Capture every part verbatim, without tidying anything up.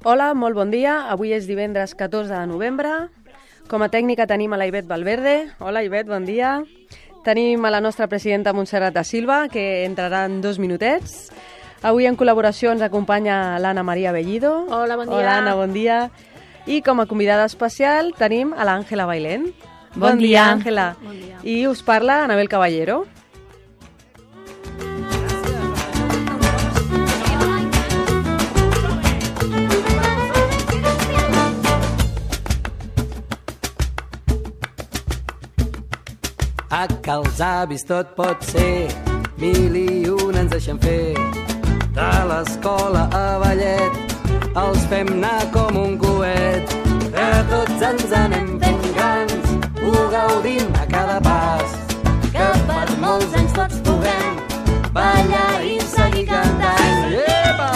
Hola, molt bon dia. Avui és divendres catorze de novembre. Com a tècnica tenim a la Ivet Valverde. Hola, Ivet, bon dia. Tenim a la nostra presidenta Montserrat da Silva, que entrarà en dos minutets. Avui en col·laboració ens acompanya l'Anna Maria Bellido. Hola, bon dia. Hola, Anna, bon dia. I com a convidada especial tenim a l'Àngela Bailén. Bon, bon dia, Àngela. Bon dia. I us parla Anabel Caballero. A que els avis tot pot ser, mil i un ens deixen fer. De l'escola a ballet, els fem anar com un coet. Que tots ens anem fent grans, ho gaudim a cada pas. Que per molts anys tots puguem ballar i seguir cantant. Epa!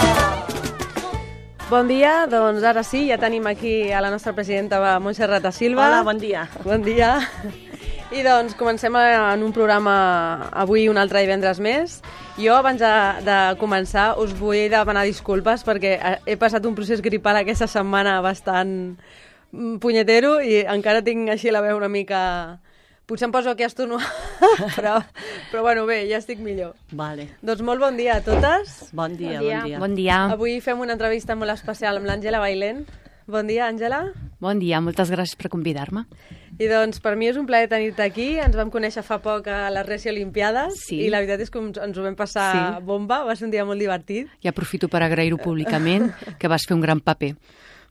Bon dia, doncs ara sí, ja tenim aquí a la nostra presidenta Montserrat da Silva. Hola, bon dia. Bon dia. I doncs comencem en un programa avui un altre divendres més. Jo abans de, de començar us vull demanar disculpes perquè he passat un procés gripal aquesta setmana bastant punyetero i encara tinc així la veu una mica... Potser em poso aquí a estornudar, però, però bueno, bé, ja estic millor. Vale. Doncs molt bon dia a totes. Bon dia, Bon dia. bon dia. Bon dia. Avui fem una entrevista molt especial amb l'Àngela Bailén. Bon dia, Àngela. Bon dia, moltes gràcies per convidar-me. I doncs per mi és un plaer tenir-te aquí. Ens vam conèixer fa poc a les Reci Olimpiades Sí. i la veritat és que ens ho vam passar Sí. bomba, va ser un dia molt divertit. I aprofito per agrair-ho públicament, que vas fer un gran paper.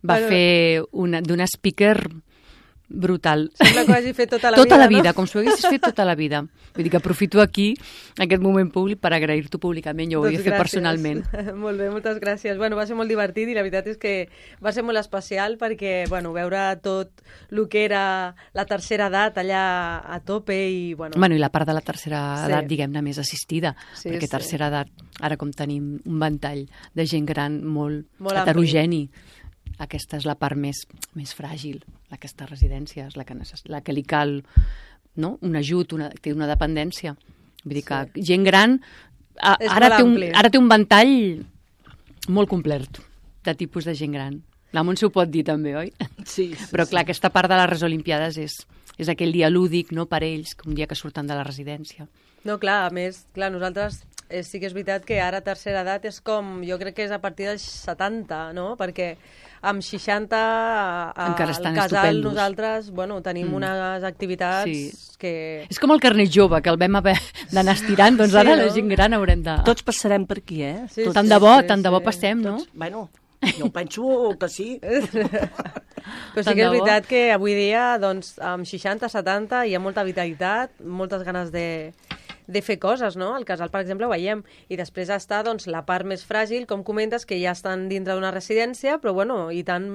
Va Bueno. fer una, d'una speaker brutal. Sembla que ho hagi fet tota la tota vida, la vida, no? com si ho haguessis fet tota la vida. Vull dir que aprofito aquí, aquest moment públic, per agrair-t'ho públicament. Jo ho Doncs havia fet gràcies. personalment. Molt bé, moltes gràcies. Bueno, va ser molt divertit i la veritat és que va ser molt especial perquè, bueno, veure tot el que era la tercera edat allà a tope i, bueno... Bueno, i la part de la tercera Sí. edat, diguem-ne, més assistida, Sí, perquè sí. tercera edat, ara com tenim un ventall de gent gran molt, Molt heterogeni, aquesta és la part més, més fràgil, aquesta residència és la que, necess... la que li cal, no? Un ajut, una... té una dependència. Vull dir que Sí. gent gran a, És ara, molt té un, ampli. ara té un ventall molt complet de tipus de gent gran. La Montse ho pot dir també, oi? Sí, sí, Però clar, sí. aquesta part de les Res Olimpiades és, és aquell dia lúdic, no, per ells, un dia que surten de la residència. No, clar, a més, clar, nosaltres eh, sí que és veritat que ara tercera edat és com, jo crec que és a partir dels setanta, no? Perquè amb seixanta a, Encara al estan casal estupendos. nosaltres, bueno, tenim Mm. unes activitats Sí. que... És com el carnet jove, que el vam haver d'anar estirant, doncs Sí, ara no? la gent gran haurem de... Tots passarem per aquí, eh? Sí, Tots, tant sí, de bo, sí, tant de bo sí. passem, no? tots, bueno, jo penso que sí. Però sí Tant que és de bo. veritat que avui dia, doncs, amb seixanta, setanta, hi ha molta vitalitat, moltes ganes de, de fer coses, no? Al casal, per exemple, ho veiem. I després està, doncs, la part més fràgil, com comentes, que ja estan dintre d'una residència, però, bueno, i tant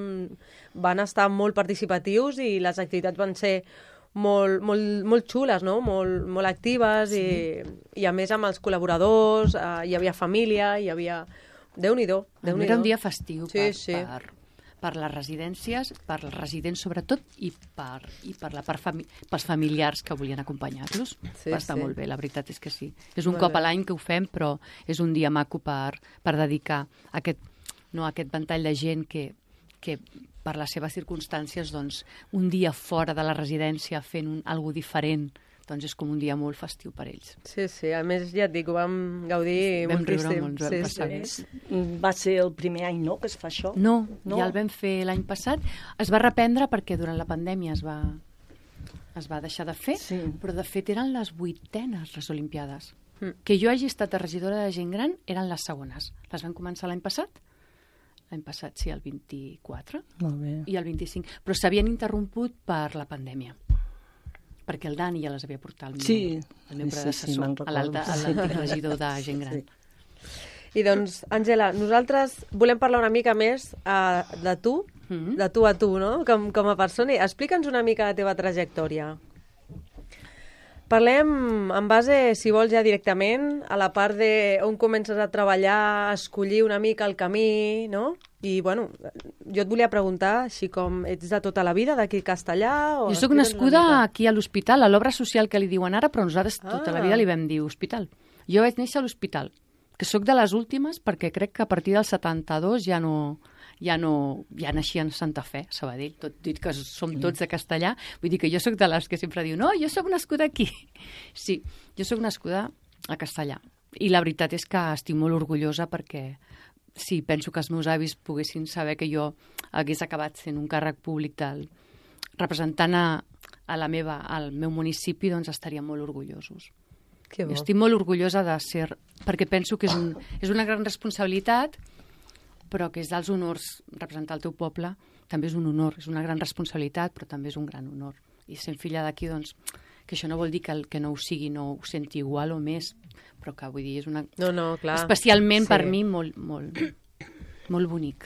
van estar molt participatius i les activitats van ser molt, molt, molt xules, no? Molt, molt actives sí. i, i, a més, amb els col·laboradors, eh, hi havia família, hi havia... Déu-n'hi-do, Déu-n'hi-do. Era un dia festiu Sí, per, sí. per, per les residències, per els residents sobretot, i per, i per la part fami pels familiars que volien acompanyar-los. Sí, Va estar sí. molt bé, la veritat és que sí. És un Molt cop bé. a l'any que ho fem, però és un dia maco per, per dedicar a aquest, no, a aquest ventall de gent que, que per les seves circumstàncies, doncs, un dia fora de la residència fent un, algo diferent, doncs és com un dia molt festiu per ells. Sí, sí, a més, ja et dic, ho vam gaudir Vam riure moltíssim. molt, ens vam sí, passar sí. bé. Mm, Va ser el primer any, no?, que es fa això. No, No? no, ja el vam fer l'any passat. Es va reprendre perquè durant la pandèmia es va, es va deixar de fer, Sí. però de fet eren les vuitenes les Olimpiades. Mm. Que jo hagi estat regidora de gent gran eren les segones. Les van començar l'any passat, l'any passat sí, el vint-i-quatre, Molt bé. i el vint-i-cinc, però s'havien interromput per la pandèmia, perquè el Dani ja les havia portat el meu, Sí, el meu sí, sí, predecessor, me'n a l'alta- a recordo. l'antic regidor de gent gran. Sí. I doncs, Àngela, nosaltres volem parlar una mica més uh, de tu, Mhm. de tu a tu, no?, com, com a persona. Explica'ns una mica la teva trajectòria. Parlem en base, si vols, ja directament a la part de on comences a treballar, a escollir una mica el camí, no? I, bueno, jo et volia preguntar, així com ets de tota la vida, d'aquí a Castellà? O Jo sóc explica'ns nascuda una mica. aquí a l'hospital, a l'obra social que li diuen ara, però nosaltres tota la Ah. vida li vam dir hospital. Jo vaig néixer a l'hospital, que sóc de les últimes perquè crec que a partir del setanta-dos ja no, ja no, ja naixia en Santa Fe, Sabadell, tot dit que som tots de castellà, vull dir que jo sóc de les que sempre diu, no, jo sóc nascuda aquí. Sí, jo sóc nascuda a Castellà. I la veritat és que estic molt orgullosa perquè sí, penso que els meus avis poguessin saber que jo hagués acabat sent un càrrec públic del, representant a, a la meva, al meu municipi, doncs estaríem molt orgullosos. Que bo. Estic molt orgullosa de ser, perquè penso que és, un, és una gran responsabilitat, però que és dels honors representar el teu poble, també és un honor, és una gran responsabilitat, però també és un gran honor. I sent filla d'aquí, doncs, que això no vol dir que el que no ho sigui no ho senti igual o més, però que vull dir, és una... No, no, clar. Especialment Sí. per mi molt, molt, molt bonic.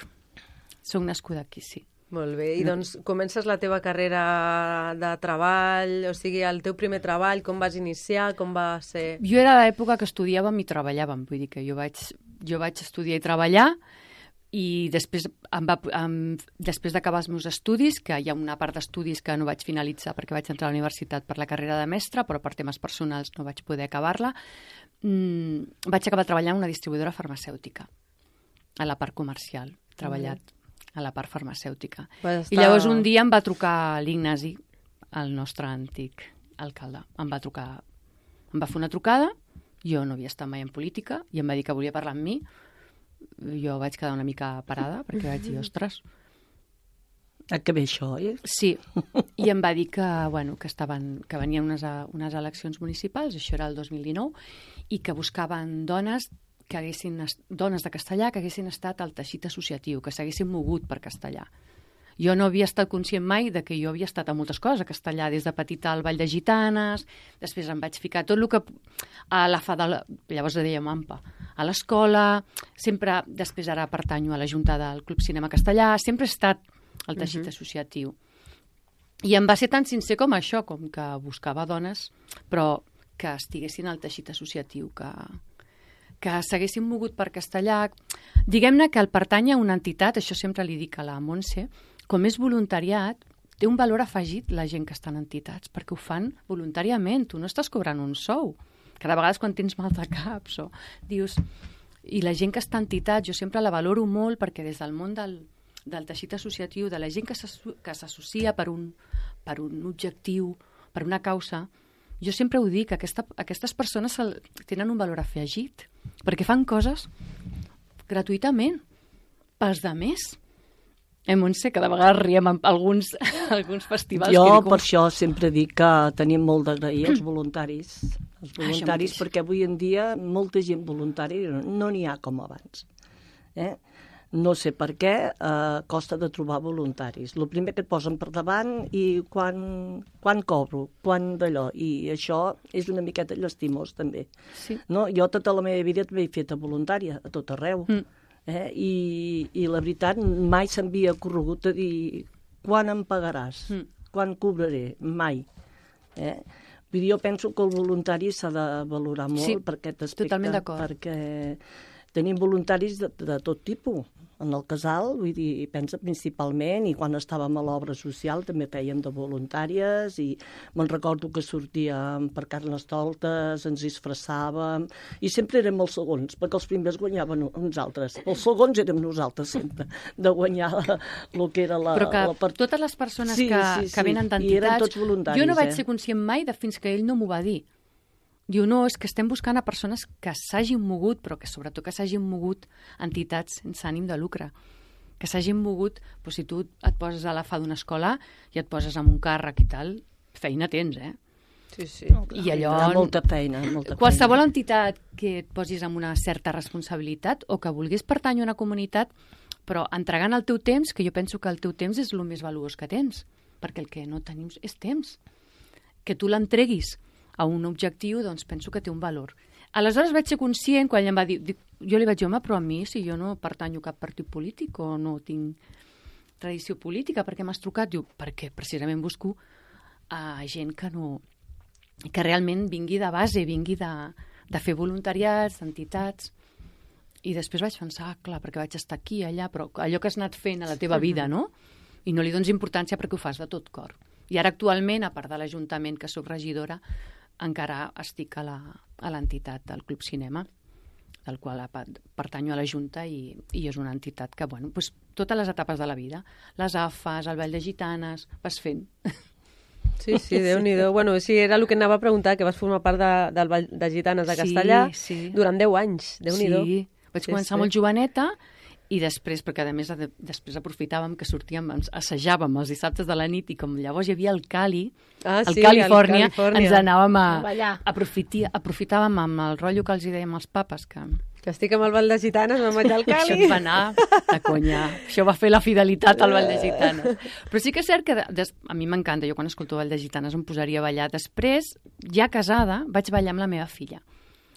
Soc nascuda aquí, sí. Molt bé. I doncs comences la teva carrera de treball, o sigui, el teu primer treball, com vas iniciar, com va ser... Jo era a l'època que estudiàvem i treballàvem, vull dir que jo vaig, jo vaig estudiar i treballar i després, em va, em, després d'acabar els meus estudis, que hi ha una part d'estudis que no vaig finalitzar perquè vaig entrar a la universitat per la carrera de mestre, però per temes personals no vaig poder acabar-la, mmm, vaig acabar treballant en una distribuïdora farmacèutica, a la part comercial, treballat a la part farmacèutica. Vas I llavors un dia em va trucar l'Ignasi, el nostre antic alcalde. Em va trucar, em va fer una trucada, jo no havia estat mai en política, i em va dir que volia parlar amb mi. Jo vaig quedar una mica parada, perquè vaig dir, ostres... Ah, que bé això, eh? Sí, i em va dir que, bueno, que, estaven, que venien unes, unes eleccions municipals, això era el dos mil dinou, i que buscaven dones que haguessin, dones de Castellà que haguessin estat al teixit associatiu, que s'haguessin mogut per Castellà. Jo no havia estat conscient mai de que jo havia estat a moltes coses a Castellà, des de petita al Ball de Gitanes, després em vaig ficar tot el que... a la fa de la... llavors ho dèiem AMPA, a l'escola, sempre, després ara pertanyo a la Junta del Club Cinema Castellà, sempre he estat al teixit uh-huh. associatiu. I em va ser tan sincer com això, com que buscava dones, però que estiguessin al teixit associatiu, que, que s'haguessin mogut per Castellà. Diguem-ne que el pertany a una entitat, això sempre li dic a la Montse, com és voluntariat, té un valor afegit la gent que està en entitats, perquè ho fan voluntàriament, tu no estàs cobrant un sou. Cada vegada quan tens mal de caps o dius... I la gent que està en entitats, jo sempre la valoro molt perquè des del món del, del teixit associatiu, de la gent que s'associa per, un, per un objectiu, per una causa, jo sempre ho dic, aquesta, aquestes persones tenen un valor afegit, perquè fan coses gratuïtament pels demés. Eh, Montse, cada vegada riem amb alguns, alguns festivals. Jo, que dic, per això, sempre dic que tenim molt d'agrair als voluntaris. Els voluntaris, perquè avui en dia molta gent voluntària no n'hi ha com abans. Eh? No sé per què, eh, costa de trobar voluntaris. El primer que et posen per davant i quan, quan cobro, quan d'allò. I això és una miqueta llastimós, també. Sí. No? Jo tota la meva vida m'he fet voluntària, a tot arreu. Mm. Eh? I, I la veritat, mai s'havia corregut a dir quan em pagaràs, mm. quan cobraré, mai. Eh? Vull dir, jo penso que el voluntari s'ha de valorar molt sí, per aquest aspecte. Totalment d'acord. Perquè tenim voluntaris de, de tot tipus. En el casal, vull dir, pensa principalment, i quan estàvem a l'obra social també fèiem de voluntàries, i me'n recordo que sortíem per Carnestoltes, ens disfressàvem, i sempre érem els segons, perquè els primers guanyaven uns altres. Els segons érem nosaltres sempre, de guanyar el que era la... Però que la part... totes les persones sí, que, sí, sí. que venen d'entitats, jo no vaig ser conscient mai de fins que ell no m'ho va dir. Diu, no, és que estem buscant a persones que s'hagin mogut, però que sobretot que s'hagin mogut entitats sense ànim de lucre. Que s'hagin mogut, doncs si tu et poses a la fa d'una escola i et poses amb un càrrec i tal, feina tens, eh? Sí, sí. No, I allò... Molta feina, molta qualsevol feina. entitat que et posis amb una certa responsabilitat o que vulguis pertànyer a una comunitat, però entregant el teu temps, que jo penso que el teu temps és el més valuós que tens, perquè el que no tenim és temps. Que tu l'entreguis a un objectiu, doncs penso que té un valor. Aleshores vaig ser conscient, quan ell em va dir, dic, jo li vaig dir, home, però a mi, si jo no pertanyo a cap partit polític o no tinc tradició política, per què m'has trucat? Diu, perquè precisament busco a gent que no... que realment vingui de base, vingui de, de fer voluntariats, d'entitats. I després vaig pensar, ah, clar, perquè vaig estar aquí, allà, però allò que has anat fent a la teva vida, no? I no li dones importància perquè ho fas de tot cor. I ara actualment, a part de l'Ajuntament, que sóc regidora, encara estic a l'entitat del Club Cinema. del qual pertanyo a la Junta i, i és una entitat que, bueno, pues, totes les etapes de la vida, les A F As, el Ball de Gitanes, vas fent. Sí, sí, Déu-n'hi-do. Bueno, sí, era el que anava a preguntar, que vas formar part de, del Ball de Gitanes de Castellà sí, sí. durant deu anys, Déu-n'hi-do. Sí, vaig sí, començar sí. molt joveneta i després, perquè a més de, després aprofitàvem que sortíem, ens assajàvem els dissabtes de la nit i com llavors hi havia el Cali, ah, el sí, Califòrnia, el Califòrnia, ens anàvem a, a aprofiti, aprofitàvem amb el rotllo que els hi dèiem als papes, que, que estic amb el Ball de Gitanes, me'n vaig al Cali. això em va anar de conya. Això va fer la fidelitat al Ball de Gitanes. Però sí que és cert que des, a mi m'encanta, jo quan escolto Ball de Gitanes em posaria a ballar. Després, ja casada, vaig ballar amb la meva filla.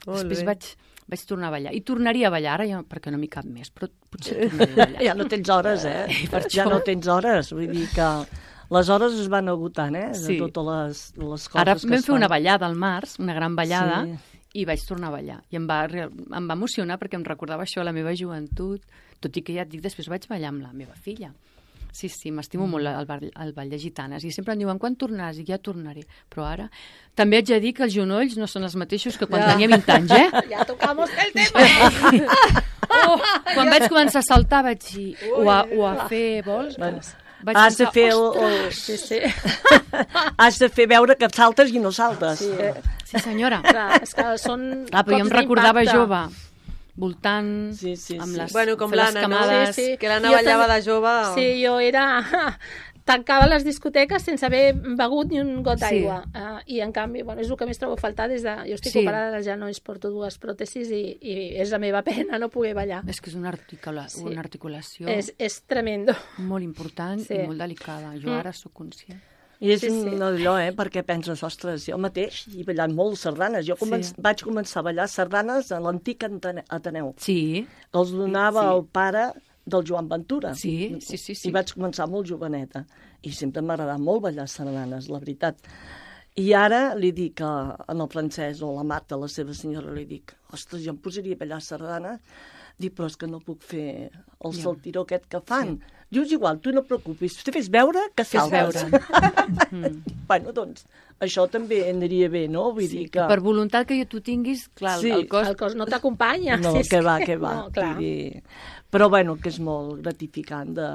Molt Després bé. vaig, vaig tornar a ballar. I tornaria a ballar ara, ja, perquè no m'hi cap més, però potser tornaria a ballar. Ja no tens hores, eh? Per Ja això. no tens hores, vull dir que les hores es van agotant, eh? Sí. De totes les, les coses Ara que vam es fer fan. una ballada al març, una gran ballada, Sí. i vaig tornar a ballar. I em va, em va emocionar perquè em recordava això a la meva joventut, tot i que ja et dic, després vaig ballar amb la meva filla. Sí, sí, m'estimo mm. molt el, ball, el ball de gitanes. I sempre em diuen, quan tornaràs? I ja tornaré. Però ara també haig de dir que els genolls no són els mateixos que quan Ja. tenia vint anys, eh? Ja tocamos el tema. Oh, quan vaig començar a saltar vaig dir, o a, o a fer vols, Bueno, vaig has de pensar, fer el, ostres, el... Sí, sí. has de fer veure que saltes i no saltes. Sí, eh? sí senyora. Clar, és que són Ah, però jo em cops recordava d'impacte. jove, voltant, Sí, sí, amb sí. les, Bueno, com fer les l'Anna, no? camades. Sí, sí. Que l'Anna Jo ballava també- de jove. Sí, jo era... Tancava les discoteques sense haver begut ni un got Sí. d'aigua. Uh, I, en canvi, bueno, és el que més trobo a faltar des de... Jo estic Sí. operada dels genolls, porto dues pròtesis i, i és la meva pena no poder ballar. És que és una, articula Sí. una articulació És, és tremendo. molt important Sí. i molt delicada. Jo Mm. ara sóc conscient. I és Sí, sí. sí, allò, eh? Perquè penses, ostres, jo mateix he ballat molt sardanes. Jo comen Sí. vaig començar a ballar sardanes a l'antic Ante- Ateneu, Sí, que els donava Sí. el pare del Joan Ventura. Sí, sí, sí, sí. I vaig començar molt joveneta. I sempre m'ha agradat molt ballar sardanes, la veritat. I ara li dic a, a el Francesc o a la Marta, la seva senyora, li dic, ostres, jo em posaria a ballar sardanes. Dic, però és que no puc fer el Ja. saltiró aquest que fan. Sí. Diu, és igual, tu no et preocupis, tu fes veure que fes saltes. veure. Mm. Bueno, doncs, això també aniria bé, no? Vull Sí, dir que... per voluntat que tu tinguis, clar, Sí. el, el cos... El cos no t'acompanya. No, si és que va, que va. No, clar. Vull dir... Però, bueno, que és molt gratificant de,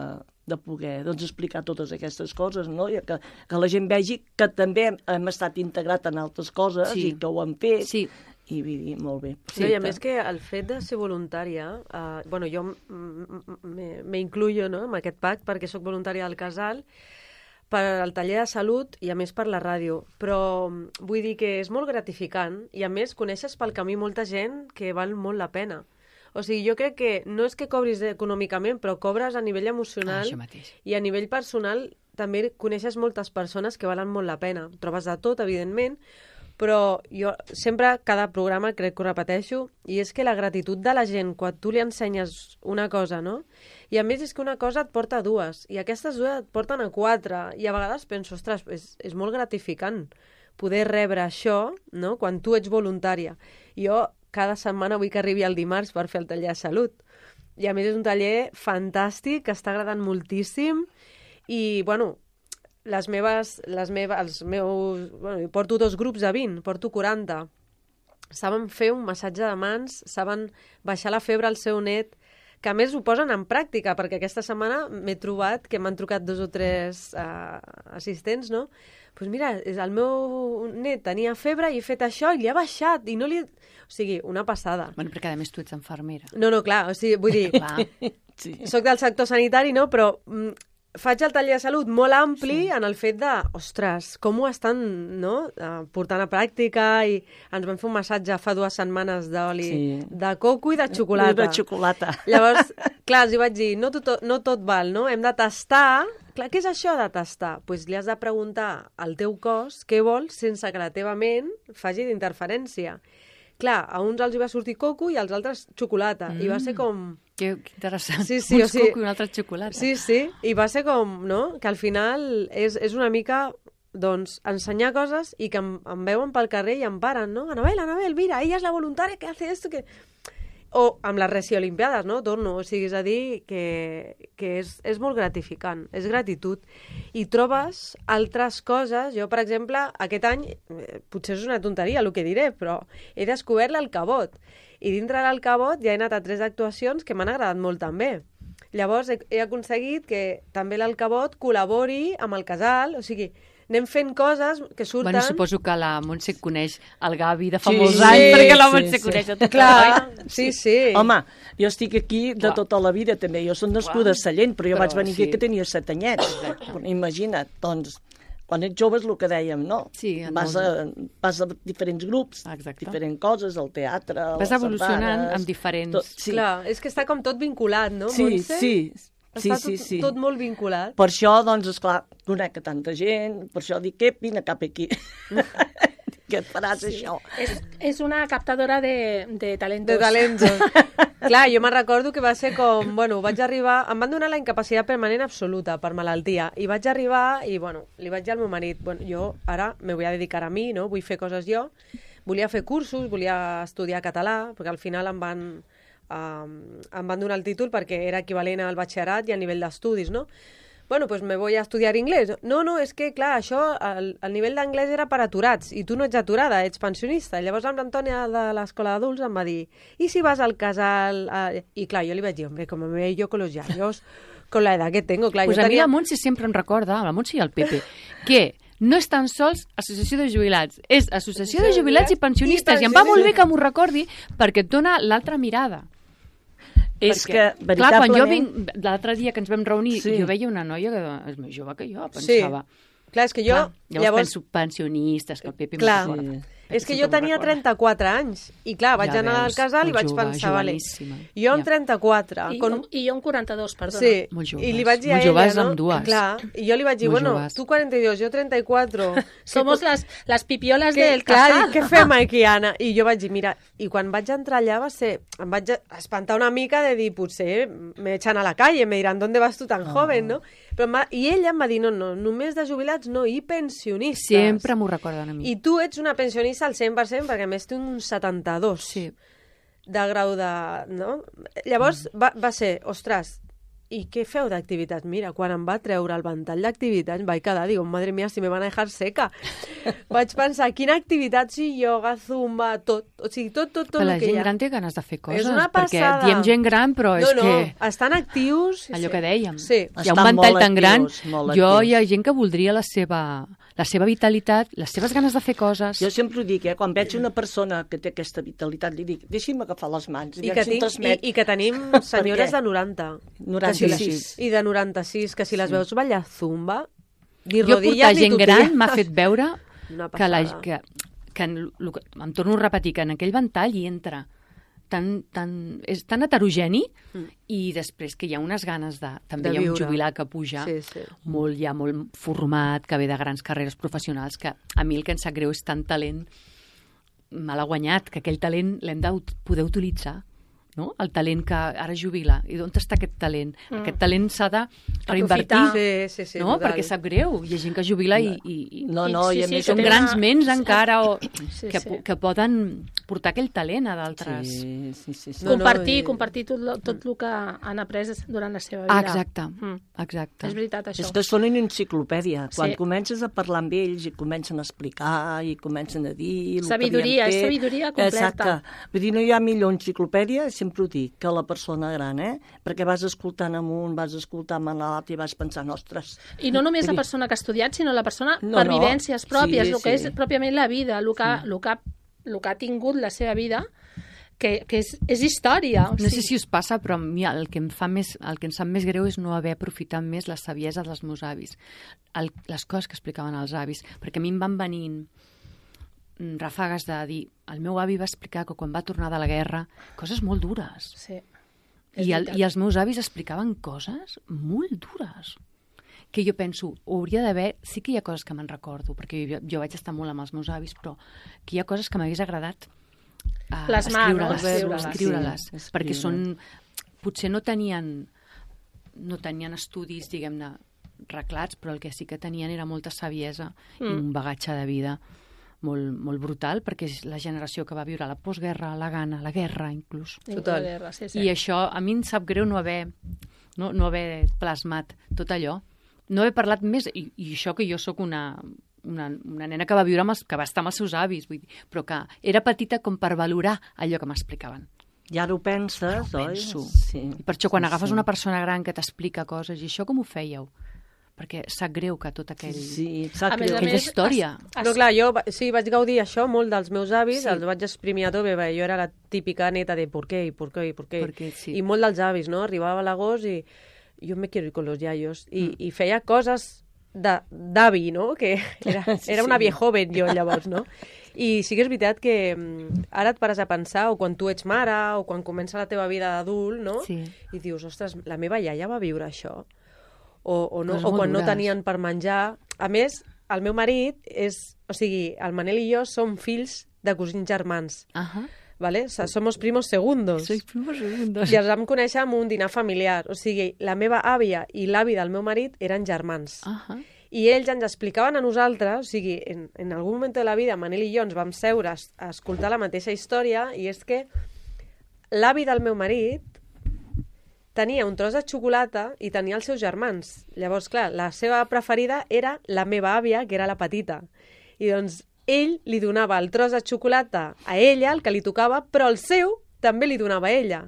de poder doncs, explicar totes aquestes coses, no? I que, que la gent vegi que també hem estat integrat en altres coses Sí. i que ho hem fet. Sí. I vull dir, molt bé. Sí, i a més que el fet de ser voluntària, eh, bueno, jo m- m- m- me incluyo, no?, en aquest pacte perquè sóc voluntària del casal, per al taller de salut i a més per la ràdio, però mm, vull dir que és molt gratificant i a més coneixes pel camí molta gent que val molt la pena. O sigui, jo crec que no és que cobris econòmicament, però cobres a nivell Ah, emocional això mateix. i a nivell personal també coneixes moltes persones que valen molt la pena. Trobes de tot, evidentment, però jo sempre, cada programa, crec que ho repeteixo, i és que la gratitud de la gent quan tu li ensenyes una cosa, no? I a més és que una cosa et porta a dues, i aquestes dues et porten a quatre, i a vegades penso, ostres, és, és molt gratificant poder rebre això, no?, quan tu ets voluntària. Jo cada setmana vull que arribi el dimarts per fer el taller de salut. I a més és un taller fantàstic, que està agradant moltíssim, i, bueno, les meves, les meves, els meus... Bueno, porto dos grups de vint, porto quaranta. Saben fer un massatge de mans, saben baixar la febre al seu net, que a més ho posen en pràctica, perquè aquesta setmana m'he trobat que m'han trucat dos o tres uh, assistents, no? Doncs pues mira, és el meu net tenia febre i he fet això i li ha baixat i no li... O sigui, una passada. Bueno, perquè a més tu ets infermera. No, no, clar, o sigui, vull dir, Clar. Sí. soc del sector sanitari, no? Però mm, faig el taller de salut molt ampli sí. en el fet de, ostres, com ho estan, no?, uh, portant a pràctica, i ens vam fer un massatge fa dues setmanes d'oli Sí. de coco i de xocolata. De xocolata. Llavors, clar, els hi vaig dir, no tot, no tot val, no? Hem de tastar. Clar, què és això de tastar? Doncs pues li has de preguntar al teu cos què vols sense que la teva ment faci d'interferència. Clar, a uns els hi va sortir coco i als altres xocolata. Mm. I va ser com... Que, que interessant. Sí, sí, Uns o sigui- coco i un altre xocolata. Sí, sí, i va ser com, no?, que al final és, és una mica, doncs, ensenyar coses i que em, em veuen pel carrer i em paren, no? Anabel, Anabel, mira, ella és la voluntària que hace esto, que... o amb les Reci Olimpiades, no? Torno, o sigui, és a dir, que, que és, és molt gratificant, és gratitud. I trobes altres coses. Jo, per exemple, aquest any, eh, potser és una tonteria el que diré, però he descobert l'Alcabot. I dintre l'Alcabot ja he anat a tres actuacions que m'han agradat molt també. Llavors he, he aconseguit que també l'Alcabot col·labori amb el casal, o sigui, anem fent coses que surten... Bueno, suposo que la Montse coneix el Gavi de fa Sí, molts sí, anys, perquè la sí, Montse sí. coneix a tot. Clar, sí, sí. Home, jo estic aquí de Clar. tota la vida també. Jo soc nascuda a Sallent, però jo Però vaig venir sí. aquí que tenia set anyets. Imagina't, doncs, quan ets jove és el que dèiem, no? Sí, en vas, a, vas a diferents grups, Exacte. diferents coses, al teatre, a Vas les evolucionant sardanes, amb diferents... tot, sí. Clar, és que està com tot vinculat, no, Sí, Montse? sí, sí, Està sí, tot, sí. tot molt vinculat. Per això, doncs, esclar, conec a tanta gent, per això dic, eh, vine cap aquí. Que et faràs sí. això. És, és una captadora de, de talentos. De talentos. Clar, jo me'n recordo que va ser com... Bueno, vaig arribar... Em van donar la incapacitat permanent absoluta per malaltia. I vaig arribar i, bueno, li vaig dir al meu marit, bueno, jo ara me voy a dedicar a mi, no? Vull fer coses jo. Volia fer cursos, volia estudiar català, perquè al final em van... Um, em van donar el títol perquè era equivalent al batxillerat i al nivell d'estudis, no? Bueno, pues me voy a estudiar inglés. No, no, és que, clar, això, el, el nivell d'anglès era per aturats, i tu no ets aturada, ets pensionista. I llavors l'Antònia de l'escola d'adults em va dir, i si vas al casal... A... I clar, jo li vaig dir, hombre, com me veo yo con los yayos, con la edad que tengo, clar, Pues jo a mi tenia... la Montse sempre em recorda, la Montse i el Pepe, que no és tan sols associació de jubilats, és associació de jubilats i pensionistes, i em va molt bé que m'ho recordi perquè et dona l'altra mirada. És Perquè, que, clar, veritablement... quan jo vinc, l'altre dia que ens vam reunir, Sí. jo veia una noia que és més jove que jo, pensava. Clar, és que jo... Clar, llavors, llavors penso pensionistes, que el Pepe Clar. m'ho recorda. Sí. És que Sempre jo m'ho tenia recorda. trenta-quatre anys i clar, vaig Ja anar veus, al casal i molt vaig jove, pensar, vale, joveníssima. jo amb Ja. trenta-quatre... I, con... jo, I jo amb quaranta-dos, perdona. Sí, Molt joves, i li vaig dir a molt ella, joves no? ambdues. Clar, i jo li vaig dir, Molt bueno, joves. tu quaranta i dos, jo trenta-quatre... Somos las, las pipiolas que, del clar, casal. dic, què fem aquí, Anna? I jo vaig dir, mira, i quan vaig entrar allà va ser... Em vaig espantar una mica de dir, potser me echan a la calle, me diran, ¿dónde vas tu tan Ah. joven, no? Però em va... I ella em va dir, no, no, només de jubilats no, i pensionistes. Sempre m'ho recorden a mi. I tu ets una pensionista al cent per cent, perquè a més tinc un setanta-dos Sí. de grau de... No? Llavors va, va ser, ostres, i què feu d'activitats? Mira, quan em va treure el ventall d'activitats vaig quedar, digo, madre mía, si me van a dejar seca. Vaig pensar, quina activitat, sí, yoga, zumba, tot, o sigui, tot, tot, tot Però la el que gent hi ha. gran té ganes de fer coses, És una perquè passada. diem gent gran, però no, és no, que... estan actius. Sí, Allò sí. que dèiem. Sí. Hi ha un Estan ventall molt tan gran, actius, molt jo actius. hi ha gent que voldria la seva, la seva vitalitat, les seves ganes de fer coses. Jo sempre ho dic, eh? Quan veig una persona que té aquesta vitalitat, li dic, deixi'm agafar les mans. I que, tinc, i, I que tenim senyores de noranta. noranta-sis. I de noranta-sis, que si les veus ballar zumba, ni Jo rodilles portar ni gent gran totillas. m'ha fet veure Una que, la, passada. que, que en, lo que- em torno a repetir, que en aquell ventall hi entra tan, tan, és tan heterogeni Mm. i després que hi ha unes ganes de... També De hi ha un viure. jubilat que puja Sí, sí. molt, ja molt format, que ve de grans carreres professionals, que a mi el que em sap greu és tant talent me l'ha guanyat, que aquell talent l'hem de ut- poder utilitzar, no? El talent que ara jubila. I d'on està aquest talent? Mm. Aquest talent s'ha de reinvertir, Aprofitar. Sí, sí, sí, no? total. Perquè sap greu. Hi ha gent que jubila i, i, i No, no, Sí, i a sí, més... que són té grans una- ments encara o, Sí, que, sí. po- que poden portar aquell talent a d'altres. Sí, sí, sí. sí. No, no, compartir, i- compartir tot, lo- tot el que han après durant la seva vida. Ah, exacte, Mm. exacte. És veritat, això. És que són una enciclopèdia. Quan Sí. comences a parlar amb ells i comencen a explicar i comencen a dir... el que Sabidoria, havien és fet. sabidoria completa. Exacte. Vull dir, no hi ha millor enciclopèdia, sempre ho dic, que la persona gran, eh? Perquè vas escoltant amunt, vas escoltant a l'altre i vas pensant, ostres... I no només la Vull dir, persona que ha estudiat, sinó la persona No, per no. vivències pròpies, Sí, el que sí. és pròpiament la vida, el que, el que, el que ha tingut la seva vida, que, que és, és història. O No sé sigui, si us passa, però a mi el que em fa més, el que em sap més greu és no haver aprofitat més la saviesa dels meus avis, el, les coses que explicaven els avis, perquè a mi em van venint mm, ràfegues de dir, el meu avi va explicar que quan va tornar de la guerra, coses molt dures. Sí, és I, el, veritat. I els meus avis explicaven coses molt dures que jo penso, hauria d'haver... Sí que hi ha coses que me'n recordo, perquè jo, jo vaig estar molt amb els meus avis, però que hi ha coses que m'hagués agradat uh, Plasmar, no? escriure-les, Escriure-les. escriure-les, Sí, perquè escriure. són... Potser no tenien, no tenien estudis, diguem-ne, reclats, però el que sí que tenien era molta saviesa mm. i un bagatge de vida molt, molt brutal, perquè és la generació que va viure la postguerra, la gana, la guerra, inclús. Total. La guerra, sí, sí. I això, a mi em sap greu no haver, no, no haver plasmat tot allò, no haver parlat més, i, i això que jo sóc una, una, una nena que va viure amb els, que va estar amb els seus avis, vull dir, però que era petita com per valorar allò que m'explicaven. I ara ho penses, oi? Penso. Sí. I per això quan Sí, agafes sí. una persona gran que t'explica coses, i això com ho fèieu? Perquè sap greu que tot aquell... Sí, sap A més a aquella més, història. es- No, clar, jo va- sí, vaig gaudir això molt dels meus avis, Sí. els vaig exprimir a tope, perquè jo era la típica neta de por qué, i por qué, i por qué. Perquè sí. I molt dels avis, no? Arribava l'agost i jo me quiero ir con los yayos. I, mm. i feia coses de- d'avi, no? Que era, Sí, era una sí. viejoven jo llavors, no? I sí que és veritat que mm, ara et pares a pensar, o quan tu ets mare, o quan comença la teva vida d'adult, no? Sí. I dius, ostres, la meva iaia va viure això. O, o, no, Coses o molt quan no dures. tenien per menjar. A més, el meu marit és... O sigui, el Manel i jo som fills de cosins germans, Ajá. ¿vale? O sea, somos primos segundos. Sois primos segundos. I els vam conèixer en un dinar familiar. O sigui, la meva àvia i l'avi del meu marit eren germans. Ajá. I ells ens explicaven a nosaltres, o sigui, en, en algun moment de la vida, Manel i jo ens vam seure a, a escoltar la mateixa història, i és que l'avi del meu marit tenia un tros de xocolata i tenia els seus germans. Llavors, clar, la seva preferida era la meva àvia, que era la petita. I doncs ell li donava el tros de xocolata a ella, el que li tocava, però el seu també li donava a ella.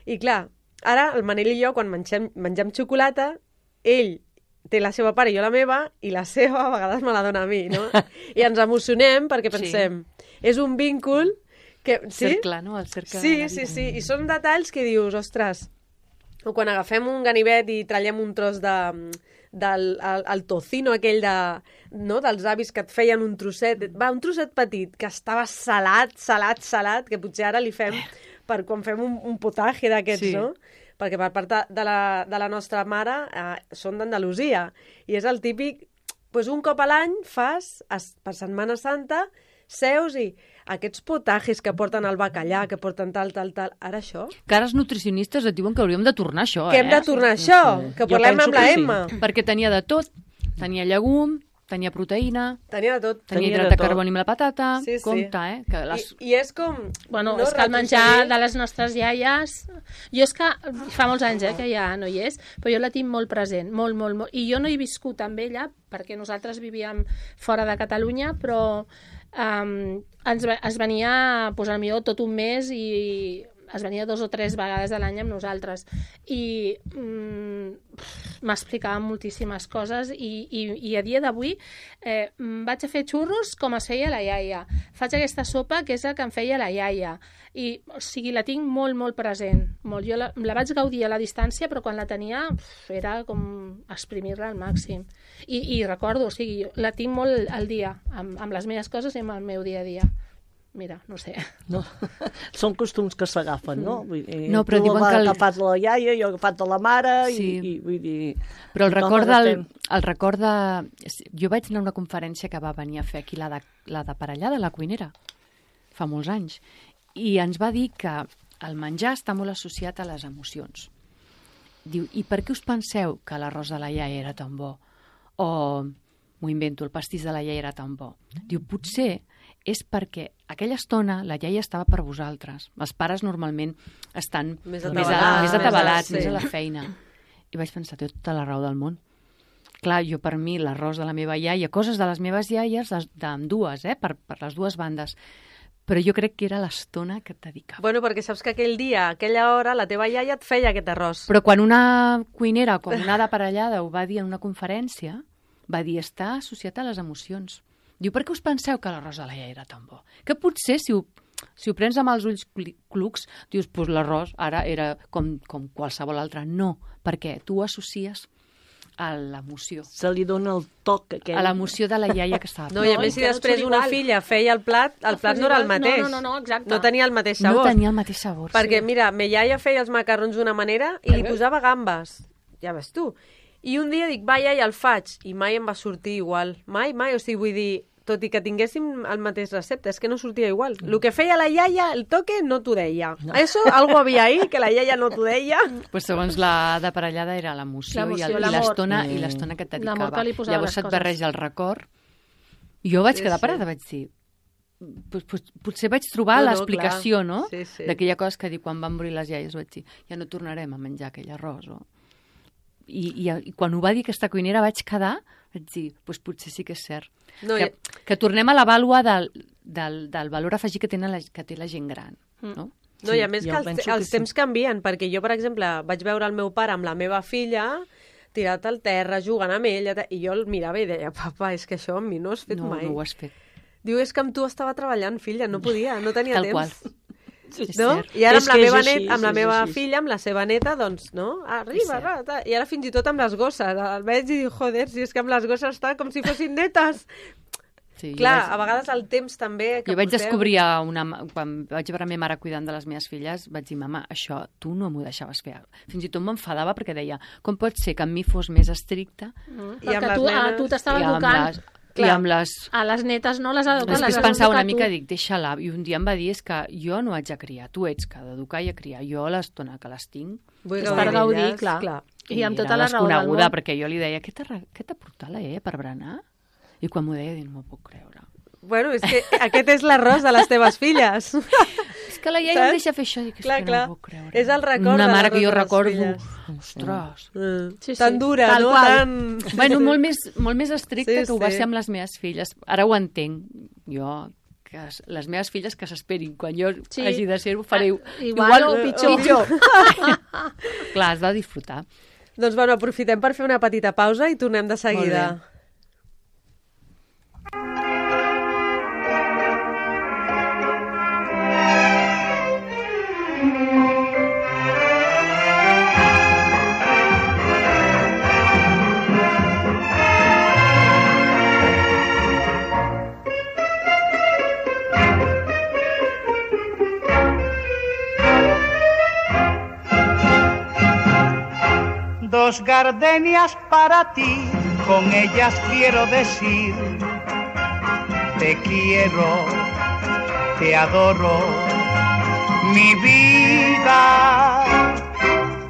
I clar, ara el Manel i jo, quan mengem, mengem xocolata, ell té la seva part i jo la meva, i la seva a vegades me la dona a mi, no? I ens emocionem perquè pensem, sí. és un vincul que... Sí? Cercle, no? El cercle Sí, de la sí, vida. sí, i són detalls que dius, ostres, o quan agafem un ganivet i trallem un tros de, del el, el tocino aquell de, no, dels avis que et feien un trosset, va, un trosset petit, que estava salat, salat, salat, que potser ara li fem per quan fem un, un potatge d'aquests, Sí. no? Perquè per part de, de, la, de la nostra mare eh, són d'Andalusia, i és el típic, doncs un cop a l'any fas, es, per Setmana Santa, seus i aquests potajes que porten el bacallà, que porten tal, tal, tal, ara això? Que ara els nutricionistes et diuen que hauríem de tornar això, Que eh? hem de tornar a això, sí. que Jo parlem penso amb la que sí. Emma. Perquè tenia de tot. Tenia llegum, tenia proteïna, Tenia de tot. tenia Tenia hidrat de de tot. carboni amb la patata. Sí, sí. Compte, eh? Que les... I, I és com... Bueno, no és que el menjar retrocedir. de les nostres iaies... Jo és que fa molts anys eh, que ja no hi és, però jo la tinc molt present, molt, molt, molt. I jo no he viscut amb ella, perquè nosaltres vivíem fora de Catalunya, però um, ens, ve- es venia, pues, potser tot un mes i es venia dos o tres vegades a l'any amb nosaltres. I mm, m'explicava moltíssimes coses i, i, i a dia d'avui eh, vaig a fer xurros com es feia la iaia. Faig aquesta sopa que és la que em feia la iaia. I, o sigui, la tinc molt, molt present. Molt. Jo la, la vaig gaudir a la distància, però quan la tenia uf, era com exprimir-la al màxim. I, i recordo, o sigui, jo la tinc molt al dia, amb, amb les meves coses i amb el meu dia a dia. Mira, no sé. No. Són costums que s'agafen, no? Vull dir, No, però tu diuen l'has que el- agafat de la iaia, jo he agafat de la mare, Sí. i, i vull dir... Però el tothom record, del, agafem. el record de... Jo vaig anar a una conferència que va venir a fer aquí la de, la de Parellada, la cuinera, fa molts anys, i ens va dir que el menjar està molt associat a les emocions. Diu, i per què us penseu que l'arròs de la iaia era tan bo? O, m'ho invento, el pastís de la iaia era tan bo? Diu, potser és perquè aquella estona la iaia estava per vosaltres. Els pares normalment estan Més més, a, atabalats, més atabalats, sí. més a la feina. I vaig pensar, té tota la raó del món. Clar, jo per mi l'arròs de la meva iaia, coses de les meves iaies, d'ambdues, eh, per, per les dues bandes, però jo crec que era l'estona que et dedicava. Bueno, perquè saps que aquell dia, aquella hora, la teva iaia et feia aquest arròs. Però quan una cuinera com una d'aparellada ho va dir en una conferència, va dir, està associat a les emocions. Diu, per què us penseu que l'arròs de la iaia era tan bo? Que potser, si ho, si ho prens amb els ulls cli- clucs, dius, doncs l'arròs ara era com, com qualsevol altre. No, perquè tu ho associes a l'emoció. Se li dona el toc aquell... A l'emoció de la iaia que estava. No, i a No, més, si que no després són una igual. filla feia el plat, el No plat fos no era el igual. mateix. No, no, no, exacte. No tenia el mateix No sabor. tenia el mateix sabor. Perquè, sí. mira, me iaia feia els macarrons d'una manera i li posava gambes. Ja ves tu. I un dia dic, va, iaia, el faig. I mai em va sortir igual. Mai, mai. O sigui, vull dir, tot i que tinguéssim el mateix recepte, és que no sortia igual. El que feia la iaia, el toque, no t'ho deia. Eso, algo havia ahí, que la iaia no t'ho deia. Pues segons la de parellada era l'emoció i L'emoció, el- i l'amor. l'estona Mm. i l'estona que et L'amor dedicava. que li posava a Llavors les se't coses. barreja el record. I jo vaig Sí, quedar sí. parada, vaig dir, Pues, pues, potser vaig trobar No, no, l'explicació, clar. no? Sí, sí. D'aquella cosa que dic, quan van morir les iaies, vaig dir, ja no tornarem a menjar aquell arròs. O... I, i, I quan ho va dir aquesta cuinera vaig quedar, vaig dir, pues potser sí que és cert. No, que, ja... que tornem a la vàlua del, del, del valor afegit que, tenen la, que té la gent gran, no? No, i a més jo que els, penso que els sí. temps canvien, perquè jo, per exemple, vaig veure el meu pare amb la meva filla tirat al terra, jugant amb ella, i jo el mirava i deia, papa, és que això amb mi no has fet No, mai. no ho has fet. Diu, és que amb tu estava treballant, filla, no podia, no tenia Tal temps. qual. Sí, És No? cert. I ara És amb la que és meva, així, net, amb la és meva així. filla, amb la seva neta, doncs, no? Arriba, cert. rata. I ara fins i tot amb les gosses. El veig i dic, joder, si és que amb les gosses està com si fossin netes. Sí, jo Clar, vaig- a vegades el temps també que Jo vaig portem- descobrir, a una, quan vaig veure la meva mare cuidant de les meves filles, vaig dir, mama, això tu no m'ho deixaves fer. Fins i tot m'enfadava perquè deia, com pot ser que amb mi fos més estricta Mm, I amb perquè les tu, a, nenes- tu t'estava i amb educant. les... I Clar. amb les... A les netes no les ha educat. Després les has pensava una educat mica, tu. dic, deixa-la. I un dia em va dir, és que jo no haig de criar, tu ets que d'educar i a criar. Jo l'estona que les tinc... Vull És gaudir per gaudir, d'elles, clar. clar. I amb era tota la raó del desconeguda, món. perquè jo li deia, què t'ha re- què t'ha portat la E per berenar? I quan m'ho deia, dic, no m'ho puc creure. Bueno, és que aquest és l'arròs de les teves filles. És que la iaia Saps? em deixa fer això, dic, és Clar, que clar. no m'ho puc creure. És el record Una de mare que l'arròs jo de les recordo, filles. ostres... Mm. Sí, sí, Tan dura, tal no? qual. Tan... Bueno, molt més, molt més estricte Sí, que ho va sí. ser amb les meves filles. Ara ho entenc. Jo, que es- les meves filles que s'esperin. Quan jo Sí. hagi de ser, ho faré Ah, igual o pitjor. pitjor. Clar, has de disfrutar. Doncs bueno, aprofitem per fer una petita pausa i tornem de seguida. Molt bé. Dos gardenias para ti, con ellas quiero decir, te quiero, te adoro, mi vida.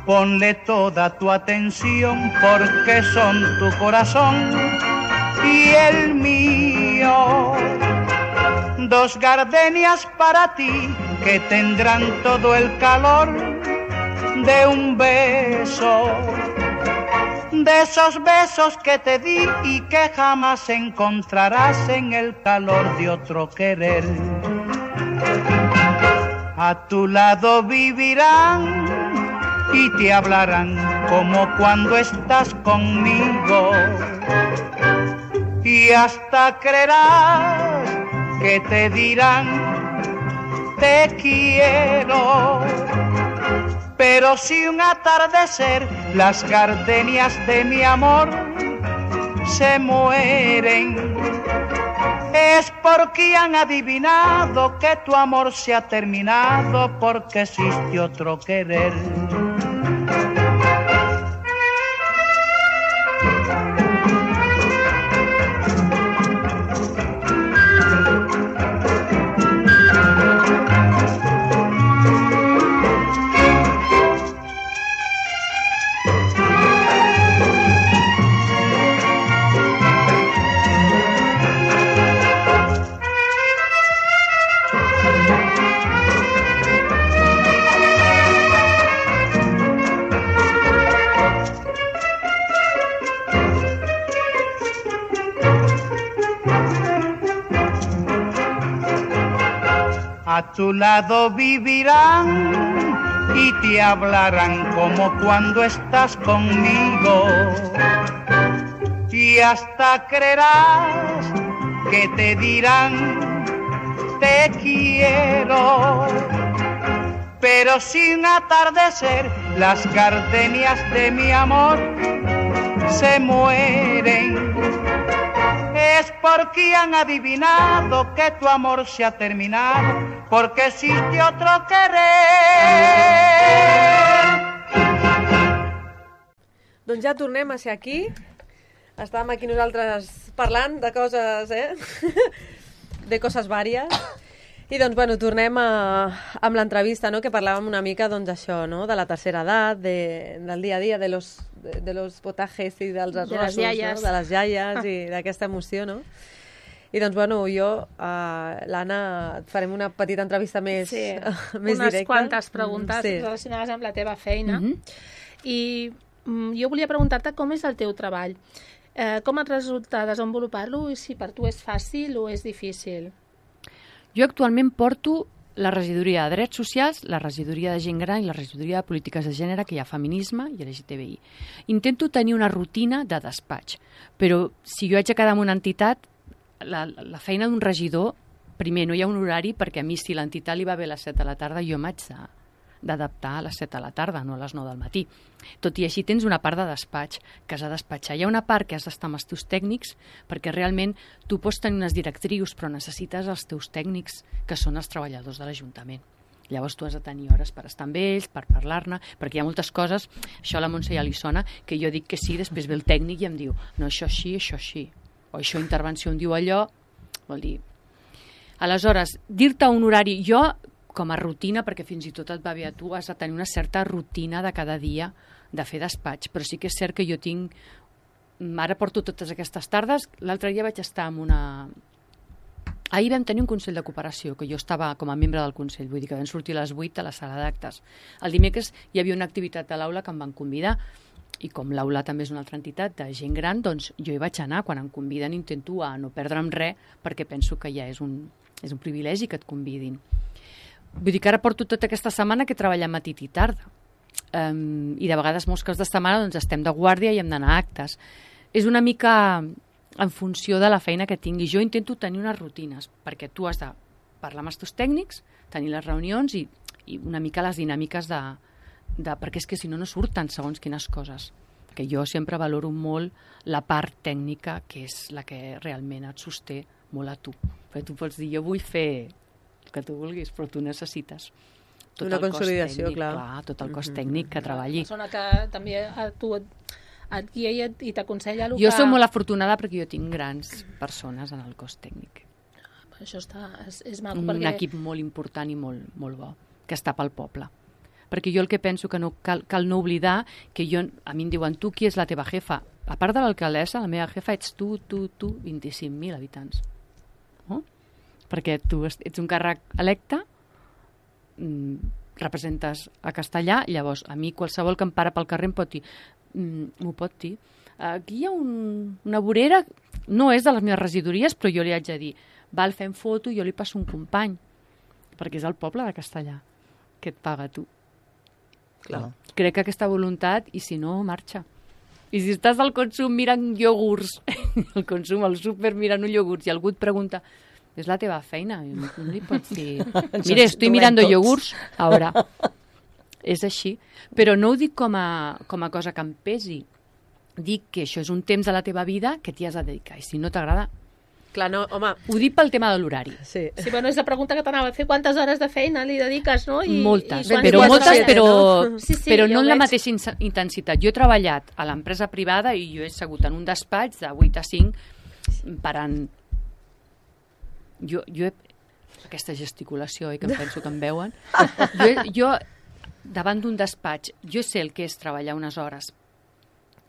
Ponle toda tu atención porque son tu corazón y el mío. Dos gardenias para ti que tendrán todo el calor de un beso, de esos besos que te di y que jamás encontrarás en el calor de otro querer. A tu lado vivirán y te hablarán como cuando estás conmigo, y hasta creerás que te dirán te quiero. Pero si un atardecer las gardenias de mi amor se mueren, es porque han adivinado que tu amor se ha terminado porque existe otro querer. A tu lado vivirán y te hablarán como cuando estás conmigo, y hasta creerás que te dirán te quiero. Pero sin atardecer las gardenias de mi amor se mueren, es porque han adivinado que tu amor se ha terminado, porque existe otro querer. Doncs ja tornem a ser aquí. Estàvem aquí nosaltres parlant de coses, eh? De coses vàries. I doncs, bueno, tornem a, amb l'entrevista, no?, que parlàvem una mica, doncs, això, no?, de la tercera edat, de, del dia a dia, de los, de, de los potajes i dels arrossos, les iaies. no?, de les iaies i d'aquesta emoció, no? I doncs, bueno, jo, uh, l'Anna, et farem una petita entrevista més, Sí, més unes directa. quantes preguntes Sí. relacionades amb la teva feina. Mhm. I mm, jo volia preguntar-te com és el teu treball. Eh, com et resulta desenvolupar-lo i si per tu és fàcil o és difícil? Jo actualment porto la regidoria de Drets Socials, la regidoria de Gent Gran i la regidoria de Polítiques de Gènere, que hi ha feminisme i L G T B I. Intento tenir una rutina de despatx, però si jo haig de quedar en una entitat, la, la feina d'un regidor, primer, no hi ha un horari, perquè a mi si l'entitat li va bé a les set de la tarda, jo m'haig de- d'adaptar a les set de la tarda, no a les nou del matí. Tot i així tens una part de despatx que has de despatxar. Hi ha una part que has d'estar amb els teus tècnics, perquè realment tu pots tenir unes directrius, però necessites els teus tècnics, que són els treballadors de l'Ajuntament. Llavors tu has de tenir hores per estar amb ells, per parlar-ne, perquè hi ha moltes coses, això a la Montse ja li sona, que jo dic que sí, després ve el tècnic i em diu, no, això així, això així, o això intervenció em diu allò, vol dir... Aleshores, dir-te un horari, jo com a rutina, perquè fins i tot et va bé a tu, has de tenir una certa rutina de cada dia de fer despatx, però sí que és cert que jo tinc... Ara porto totes aquestes tardes, l'altre dia vaig estar en una... Ahir vam tenir un Consell de Cooperació, que jo estava com a membre del Consell, vull dir que vam sortir a les vuit a la sala d'actes. El dimecres hi havia una activitat a l'aula que em van convidar, i com l'aula també és una altra entitat de gent gran, doncs jo hi vaig anar. Quan em conviden intento a no perdre'm res, perquè penso que ja és un, és un privilegi que et convidin. Vull dir que ara porto tota aquesta setmana que treballam matí i tarda. Um, I de vegades molts caps de setmana doncs, estem de guàrdia i hem d'anar a actes. És una mica en funció de la feina que tingui. Jo intento tenir unes rutines, perquè tu has de parlar amb els teus tècnics, tenir les reunions i, i una mica les dinàmiques de, de... Perquè és que si no, no surten segons quines coses. Que jo sempre valoro molt la part tècnica, que és la que realment et sosté molt a tu. Perquè tu pots dir, jo vull fer el que tu vulguis, però tu necessites tot Una el cos consolidació, tècnic, clar. clar, tot el cos Mhm. tècnic que treballi. Una persona que també a tu et, et guia i et- i t'aconsella el Jo que... soc molt afortunada perquè jo tinc grans persones en el cos tècnic. Això està, és, és maco, Un perquè... equip molt important i molt, molt bo, que està pel poble. Perquè jo el que penso que no cal, cal no oblidar, que jo, a mi em diuen, tu qui és la teva jefa? A part de l'alcaldessa, la meva jefa ets tu, tu, tu, vint-i-cinc mil habitants. No? Perquè tu ets un càrrec electe, mm, representes a Castellà, llavors a mi qualsevol que em para pel carrer em pot dir, mm, m'ho pot dir. Aquí hi ha un, una vorera, no és de les meves regidories, però jo li haig de dir, val, fem foto, jo li passo un company, perquè és el poble de Castellà que et paga a tu. Clar. Crec que aquesta voluntat, i si no, marxa. I si estàs al consum mirant iogurts, al consum, al súper mirant un iogurts, i algú et pregunta, és la teva feina, i no, no li pots dir, mire, estoy mirando tots. iogurts, ara. És així. Però no ho dic com a, com a cosa que em pesi. Dic que això és un temps de la teva vida que t'hi has de dedicar, i si no t'agrada... Clar, no, home, Ho dic pel tema de l'horari. sí. Sí, bueno, és la pregunta que t'anava a fer. Quantes hores de feina li dediques, no? I, Moltes, i quants però dies moltes, treballes, però, no? Sí, sí, però ja no ho en la veig. mateixa ins- intensitat. Jo he treballat a l'empresa privada i jo he segut en un despatx de vuit a cinc parant... Jo, jo he... Aquesta gesticulació, eh, que em penso que em veuen. Jo, he- jo davant d'un despatx, jo sé el que és treballar unes hores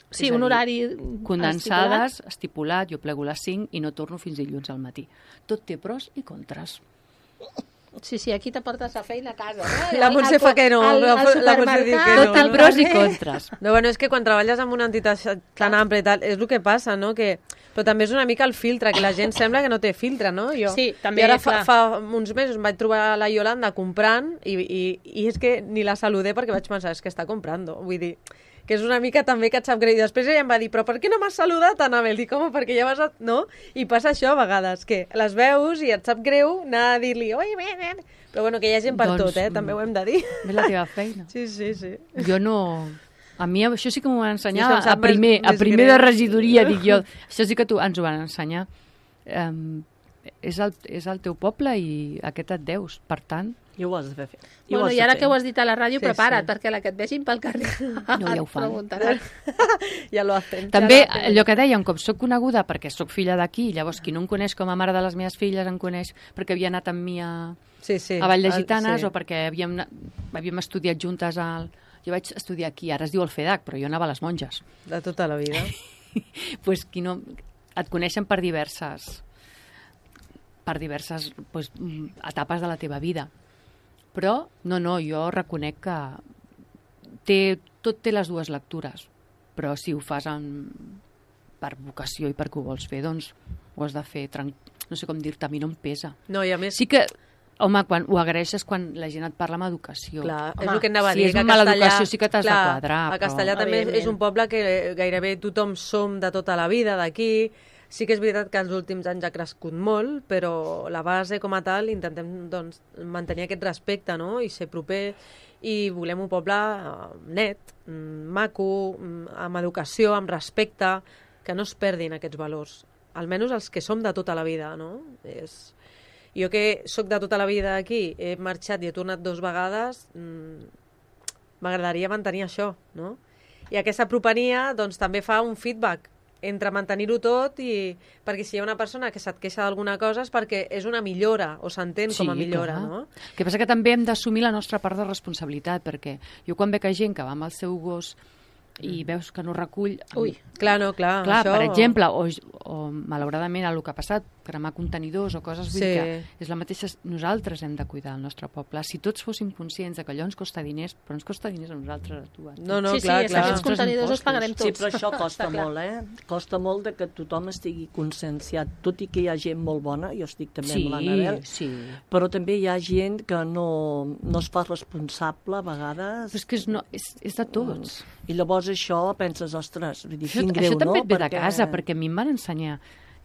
Sí, és a un dir, horari condensades, estipulat. estipulat, jo plego a les cinc i no torno fins dilluns al matí. Tot té pros i contres. estipulat. Sí, sí, aquí te portes la feina a casa. No? La Al- Montse al- fa que no, al- la- al la Montse diu que supermercat, no, Tot té no? pros i contres. No, bueno, és que quan treballes en una entitat tan àmplia i tal, és el que passa, no? Que... Però també és una mica el filtre, que la gent sembla que no té filtre, no? Jo. Sí, també, I ara fa, clar. fa uns mesos em vaig trobar la Yolanda comprant i, i, i és que ni la saludé perquè vaig pensar, és que està comprando. Vull dir, que és una mica també que et sap greu. I després ella em va dir, però per què no m'has saludat, Anabel? Dic, home, perquè ja vas... A... No? I passa això a vegades, que les veus i et sap greu anar a dir-li, oi, bé, bé. Però bueno, que hi ha gent per Doncs, tot, eh? També ho hem de dir. És la teva feina. Sí, sí, sí. Jo no... A mi això sí que m'ho van ensenyar Sí, és que em a sap més- primer, a més primer greu. de regidoria, dic jo. Això sí que tu, ens ho van ensenyar. Um, és, el, és el teu poble i aquest et deus. Per tant, I ho has de fer. I ho Bueno, has i de ara fer. que ho has dit a la ràdio, Sí, prepara't, sí. perquè la que et vegin pel carrer No, ja ho fan. et preguntaran. Ja lo hacen. també Ja la- allò que dèiem, com soc coneguda perquè sóc filla d'aquí, llavors qui no em coneix com a mare de les meves filles em coneix perquè havia anat amb mi a, Sí, sí. a Vall de Ah, Gitanes sí. o perquè havíem, anat- havíem estudiat juntes al... Jo vaig estudiar aquí, ara es diu el FEDAC, però jo anava a les monges. De tota la vida. Pues qui no... Et coneixen per diverses per diverses pues, etapes de la teva vida. Però, no, no, jo reconec que té, tot té les dues lectures, però si ho fas en, per vocació i perquè ho vols fer, doncs ho has de fer, tranquil. No sé com dir-te, a mi no em pesa. No, i a més... Sí que, home, quan ho agraeixes quan la gent et parla amb educació. Clar, home, és el que anava a dir. Si és que a mala Castellà- educació sí que t'has de clar, quadrar. A Castellà però... també és, és un poble que gairebé tothom som de tota la vida d'aquí. Sí que és veritat que els últims anys ha crescut molt, però la base com a tal intentem doncs, mantenir aquest respecte, no? I ser proper, i volem un poble eh, net, mm, maco, mm, amb educació, amb respecte, que no es perdin aquests valors. Almenys els que som de tota la vida, no? És... Jo que sóc de tota la vida aquí, he marxat i he tornat dues vegades, mmm, m'agradaria mantenir això, no? I aquesta propenia doncs, també fa un feedback entre mantenir-ho tot i... Perquè si hi ha una persona que se't queixa d'alguna cosa és perquè és una millora, o s'entén Sí, com a millora, clar. no? El que passa que també hem d'assumir la nostra part de responsabilitat, perquè jo quan veig gent que va amb el seu gos i veus que no recull... Ui, Clar, no, clar. Clar, això... per exemple, o, o malauradament el que ha passat, cremar contenidors o coses, vull Sí. dir que és la mateixa... Nosaltres hem de cuidar el nostre poble. Si tots fóssim conscients de que allò ens costa diners, però ens costa diners a nosaltres, a tu. A tu. No, no, sí, clar, sí, és que clar. aquests contenidors els pagarem tots. Sí, però això costa Està clar. molt, eh? Costa molt de que tothom estigui conscienciat, tot i que hi ha gent molt bona, jo estic també Sí, amb l'Anabel, sí. però també hi ha gent que no, no es fa responsable a vegades. Però és que és, no, és, és de tots. I llavors això penses, ostres, vull dir, Això, quin greu, això també no? et ve de casa, perquè a mi em van ensenyar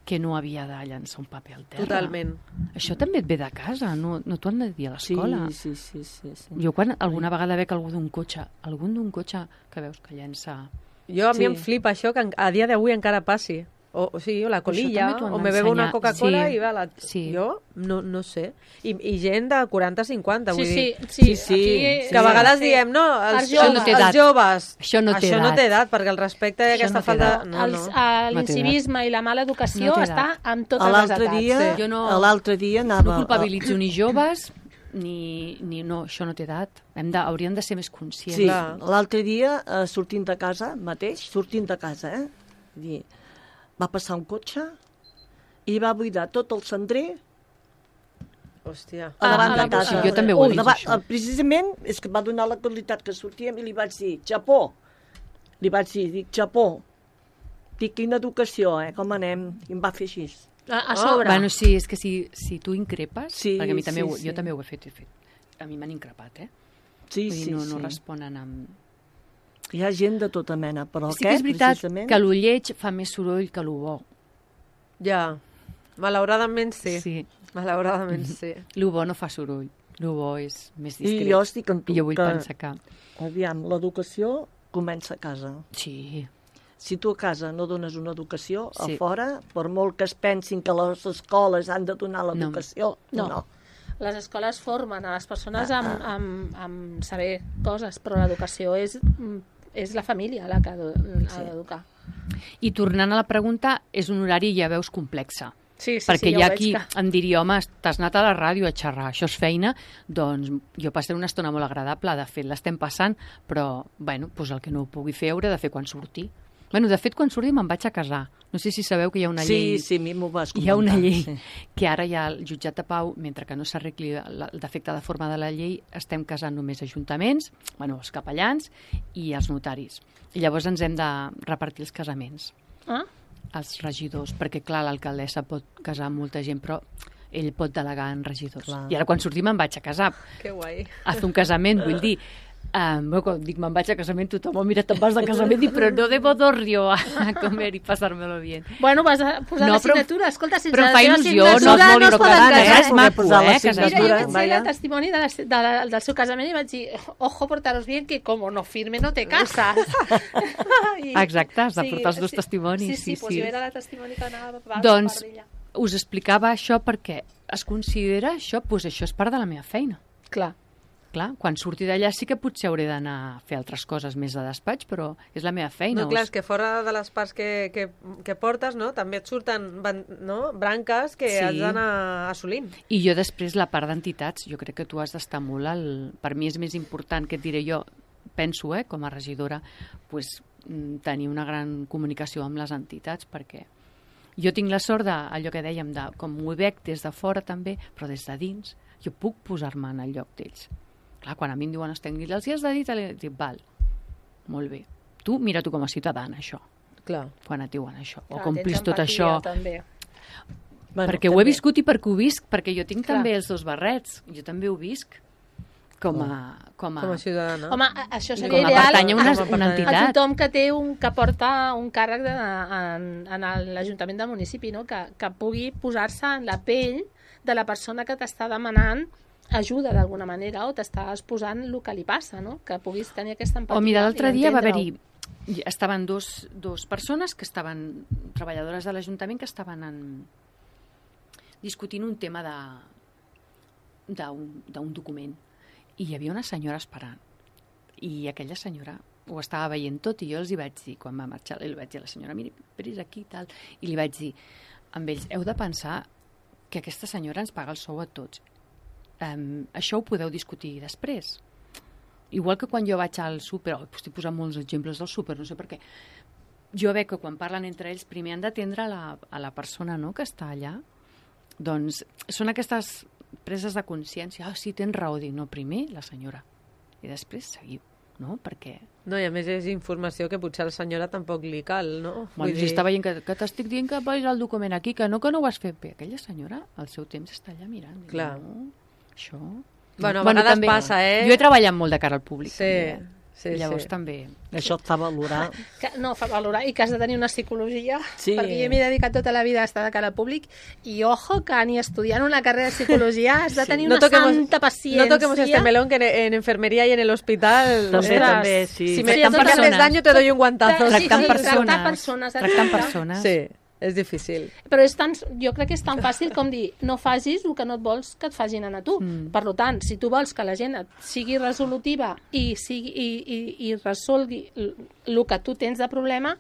que no havia de llançar un paper al terra. Totalment. Això també et ve de casa, no, no t'ho han de dir a l'escola. Sí, sí, sí, sí, sí. Jo quan alguna vegada veig algú d'un cotxe, algun d'un cotxe que veus que llença... Jo a mi Sí. em flipa això que en- a dia d'avui encara passi. O, o sigui, o la colilla, també t'ho han o me bebo una d'ensenyar. Coca-Cola Sí. i va la... Sí. Jo no, no sé. I, I gent de quaranta a cinquanta, Sí, vull sí, dir... sí, Sí, sí. aquí... Que a vegades diem, no, els, Els joves, joves. no té els edat. joves... Això no té això no edat. té edat, perquè el respecte i Això aquesta no té falta... edat. No, Els, no. eh, No té L'incivisme i la mala educació No té està edat. amb totes les L'altre edats. dia, Jo no- l'altre dia anava... No culpabilitzo ni joves, ni, ni no, això no té edat. Hem de, hauríem de ser més conscients. Sí, Clar. l'altre dia, eh, sortint de casa mateix, sortint de casa, eh? Vull dir, va passar un cotxe i va buidar tot el cendrer Hòstia. a davant Ah, de a la- casa. Sí, jo també ho he vist, Davant- això. Precisament, és que va donar la qualitat que sortíem i li vaig dir, Japó. Li vaig dir, dic, Japó. Dic, quina educació, eh? Com anem? I em va fer així. A, a sobre. Bueno, sí, és que si, si tu increpes, Sí, perquè a mi també sí, ho, sí. jo també ho he fet, he fet. A mi m'han increpat, eh? Sí, Vull dir, sí, no, sí. no responen amb... Hi ha gent de tota mena, però Sí que aquest, és veritat precisament... que lo lleig fa més soroll que lo bo. Ja. Malauradament sí. Sí. Malauradament sí. Lo bo no fa soroll. Lo bo és més I discret. jo estic amb tu, I jo vull que, pensar que... aviam, l'educació comença a casa. Sí. Si tu a casa no dones una educació, Sí. a fora, per molt que es pensin que les escoles han de donar l'educació, No. no. no. Les escoles formen a les persones amb, amb, amb saber coses, però l'educació és, és la família la que ha de- ha d'educar. I tornant a la pregunta, és un horari, ja veus, complexa. Sí, sí, Perquè sí, hi ja ha ho veig qui que... em diria, home, t'has anat a la ràdio a xerrar, això és feina, doncs jo passaré una estona molt agradable, de fet l'estem passant, però bueno, doncs el que no ho pugui fer hauré de fer quan surti. Bueno, de fet, quan surti me'n vaig a casar. No sé si sabeu que hi ha una Sí, llei... sí, a mi m'ho vas comentar. Hi ha una llei Sí. que ara ja el jutjat de pau, mentre que no s'arregli la- el defecte de forma de la llei, estem casant només ajuntaments, bueno, els capellans i els notaris. I llavors ens hem de repartir els casaments, Ah? els regidors, perquè clar, l'alcaldessa pot casar amb molta gent, però ell pot delegar en regidors. Clar. I ara quan sortim me'n vaig a casar, Que guai. a fer un casament, vull dir, Um, bueno, quan dic me'n vaig a casament, tothom oh, mira, te'n vas de casament, i però no debo dormir a comer i passar-me-lo bien. Bueno, vas a posar No, la però- signatura. Escolta, sense però la fa teva il·lusió, no es signatura vol no es poden casar, casar. és maco, posar la eh, casar. Mira, jo signatura, vaig ser vaya. la testimoni de la, de la, del seu casament i vaig dir, ojo, portaros bien, que como no firme no te casas. I, Exacte, has de portar els dos testimonis, Sí, sí, sí, pues sí. jo era la testimoni que anava per Doncs per d'ella. us explicava això perquè es considera això, doncs això és part de la meva feina. Clar. Clar, quan surti d'allà sí que potser hauré d'anar a fer altres coses més de despatx, però és la meva feina. No, clar, us- és que fora de les parts que, que, que portes, no? També et surten ban- no? branques que Sí. has d'anar assolint. I jo després la part d'entitats, jo crec que tu has d'estar molt al... Per mi és més important, que et diré jo, penso, eh, com a regidora, pues, mm, tenir una gran comunicació amb les entitats, perquè Jo tinc la sort de, allò que dèiem, de, com ho veig des de fora també, però des de dins, jo puc posar-me en el lloc d'ells. Clar, quan a mi em diuen, Esther, els hi has de dir, dic, val, molt bé. Tu, mira tu com a ciutadana, això. Clar. Quan et diuen això. Clar, o complis tot això. També. Bueno, perquè també ho he viscut i perquè ho visc, perquè jo tinc Clar. també els dos barrets. Jo també ho visc com a... Com a, com a ciutadana. Home, això seria com a ideal pertany a una, una a entitat. tothom que té un, que porta un càrrec de, en, en l'Ajuntament del municipi, no? que, que pugui posar-se en la pell de la persona que t'està demanant ajuda d'alguna manera o t'està exposant el que li passa, no? Que puguis tenir aquesta empatia. O mira, l'altre dia va haver-hi estaven dos, dos persones que estaven, treballadores de l'Ajuntament, que estaven en, discutint un tema d'un document. I hi havia una senyora esperant. I aquella senyora ho estava veient tot i jo els hi vaig dir, quan va marxar, li vaig dir a la senyora, miri, veris aquí i tal, i li vaig dir, amb ells, heu de pensar que aquesta senyora ens paga el sou a tots. Um, això ho podeu discutir després. Igual que quan jo vaig al súper, oh, estic posant molts exemples del súper, no sé per què, jo veig que quan parlen entre ells primer han d'atendre la, a la persona, no?, que està allà. Doncs són aquestes preses de consciència. Ah, sí, tens raó, dic, no, primer la senyora i després seguiu, no? Perquè... No, i a més és informació que potser a la senyora tampoc li cal, no? Bueno, Vull si dir... està veient que, que t'estic dient que vagis el document aquí, que no, que no ho has fet bé. Aquella senyora, al seu temps, està allà mirant. Clar. No, això... Bueno, a vegades també, passa, eh? Jo he treballat molt de cara al públic. Sí, també. sí, Llavors sí. també... Això et fa valorar. Que, no, fa valorar, i que has de tenir una psicologia, Sí. perquè jo m'he dedicat tota la vida a estar de cara al públic, i ojo que ni estudiant una carrera de psicologia has de tenir No una toquemos- santa paciència. No toquemos este melón que en, en enfermería y en el hospital... També, ostras, també, sí. Si Sí, me a totes haces persones. daño te doy un guantazo. Sí, sí, Tractant tractar persones. persones, Tractant exacte. persones. Sí, és difícil. Però és tan, jo crec que és tan fàcil com dir no facis el que no et vols que et facin a tu. Mm. Per tant, si tu vols que la gent et sigui resolutiva i, sigui, i, i, i resolgui el que tu tens de problema,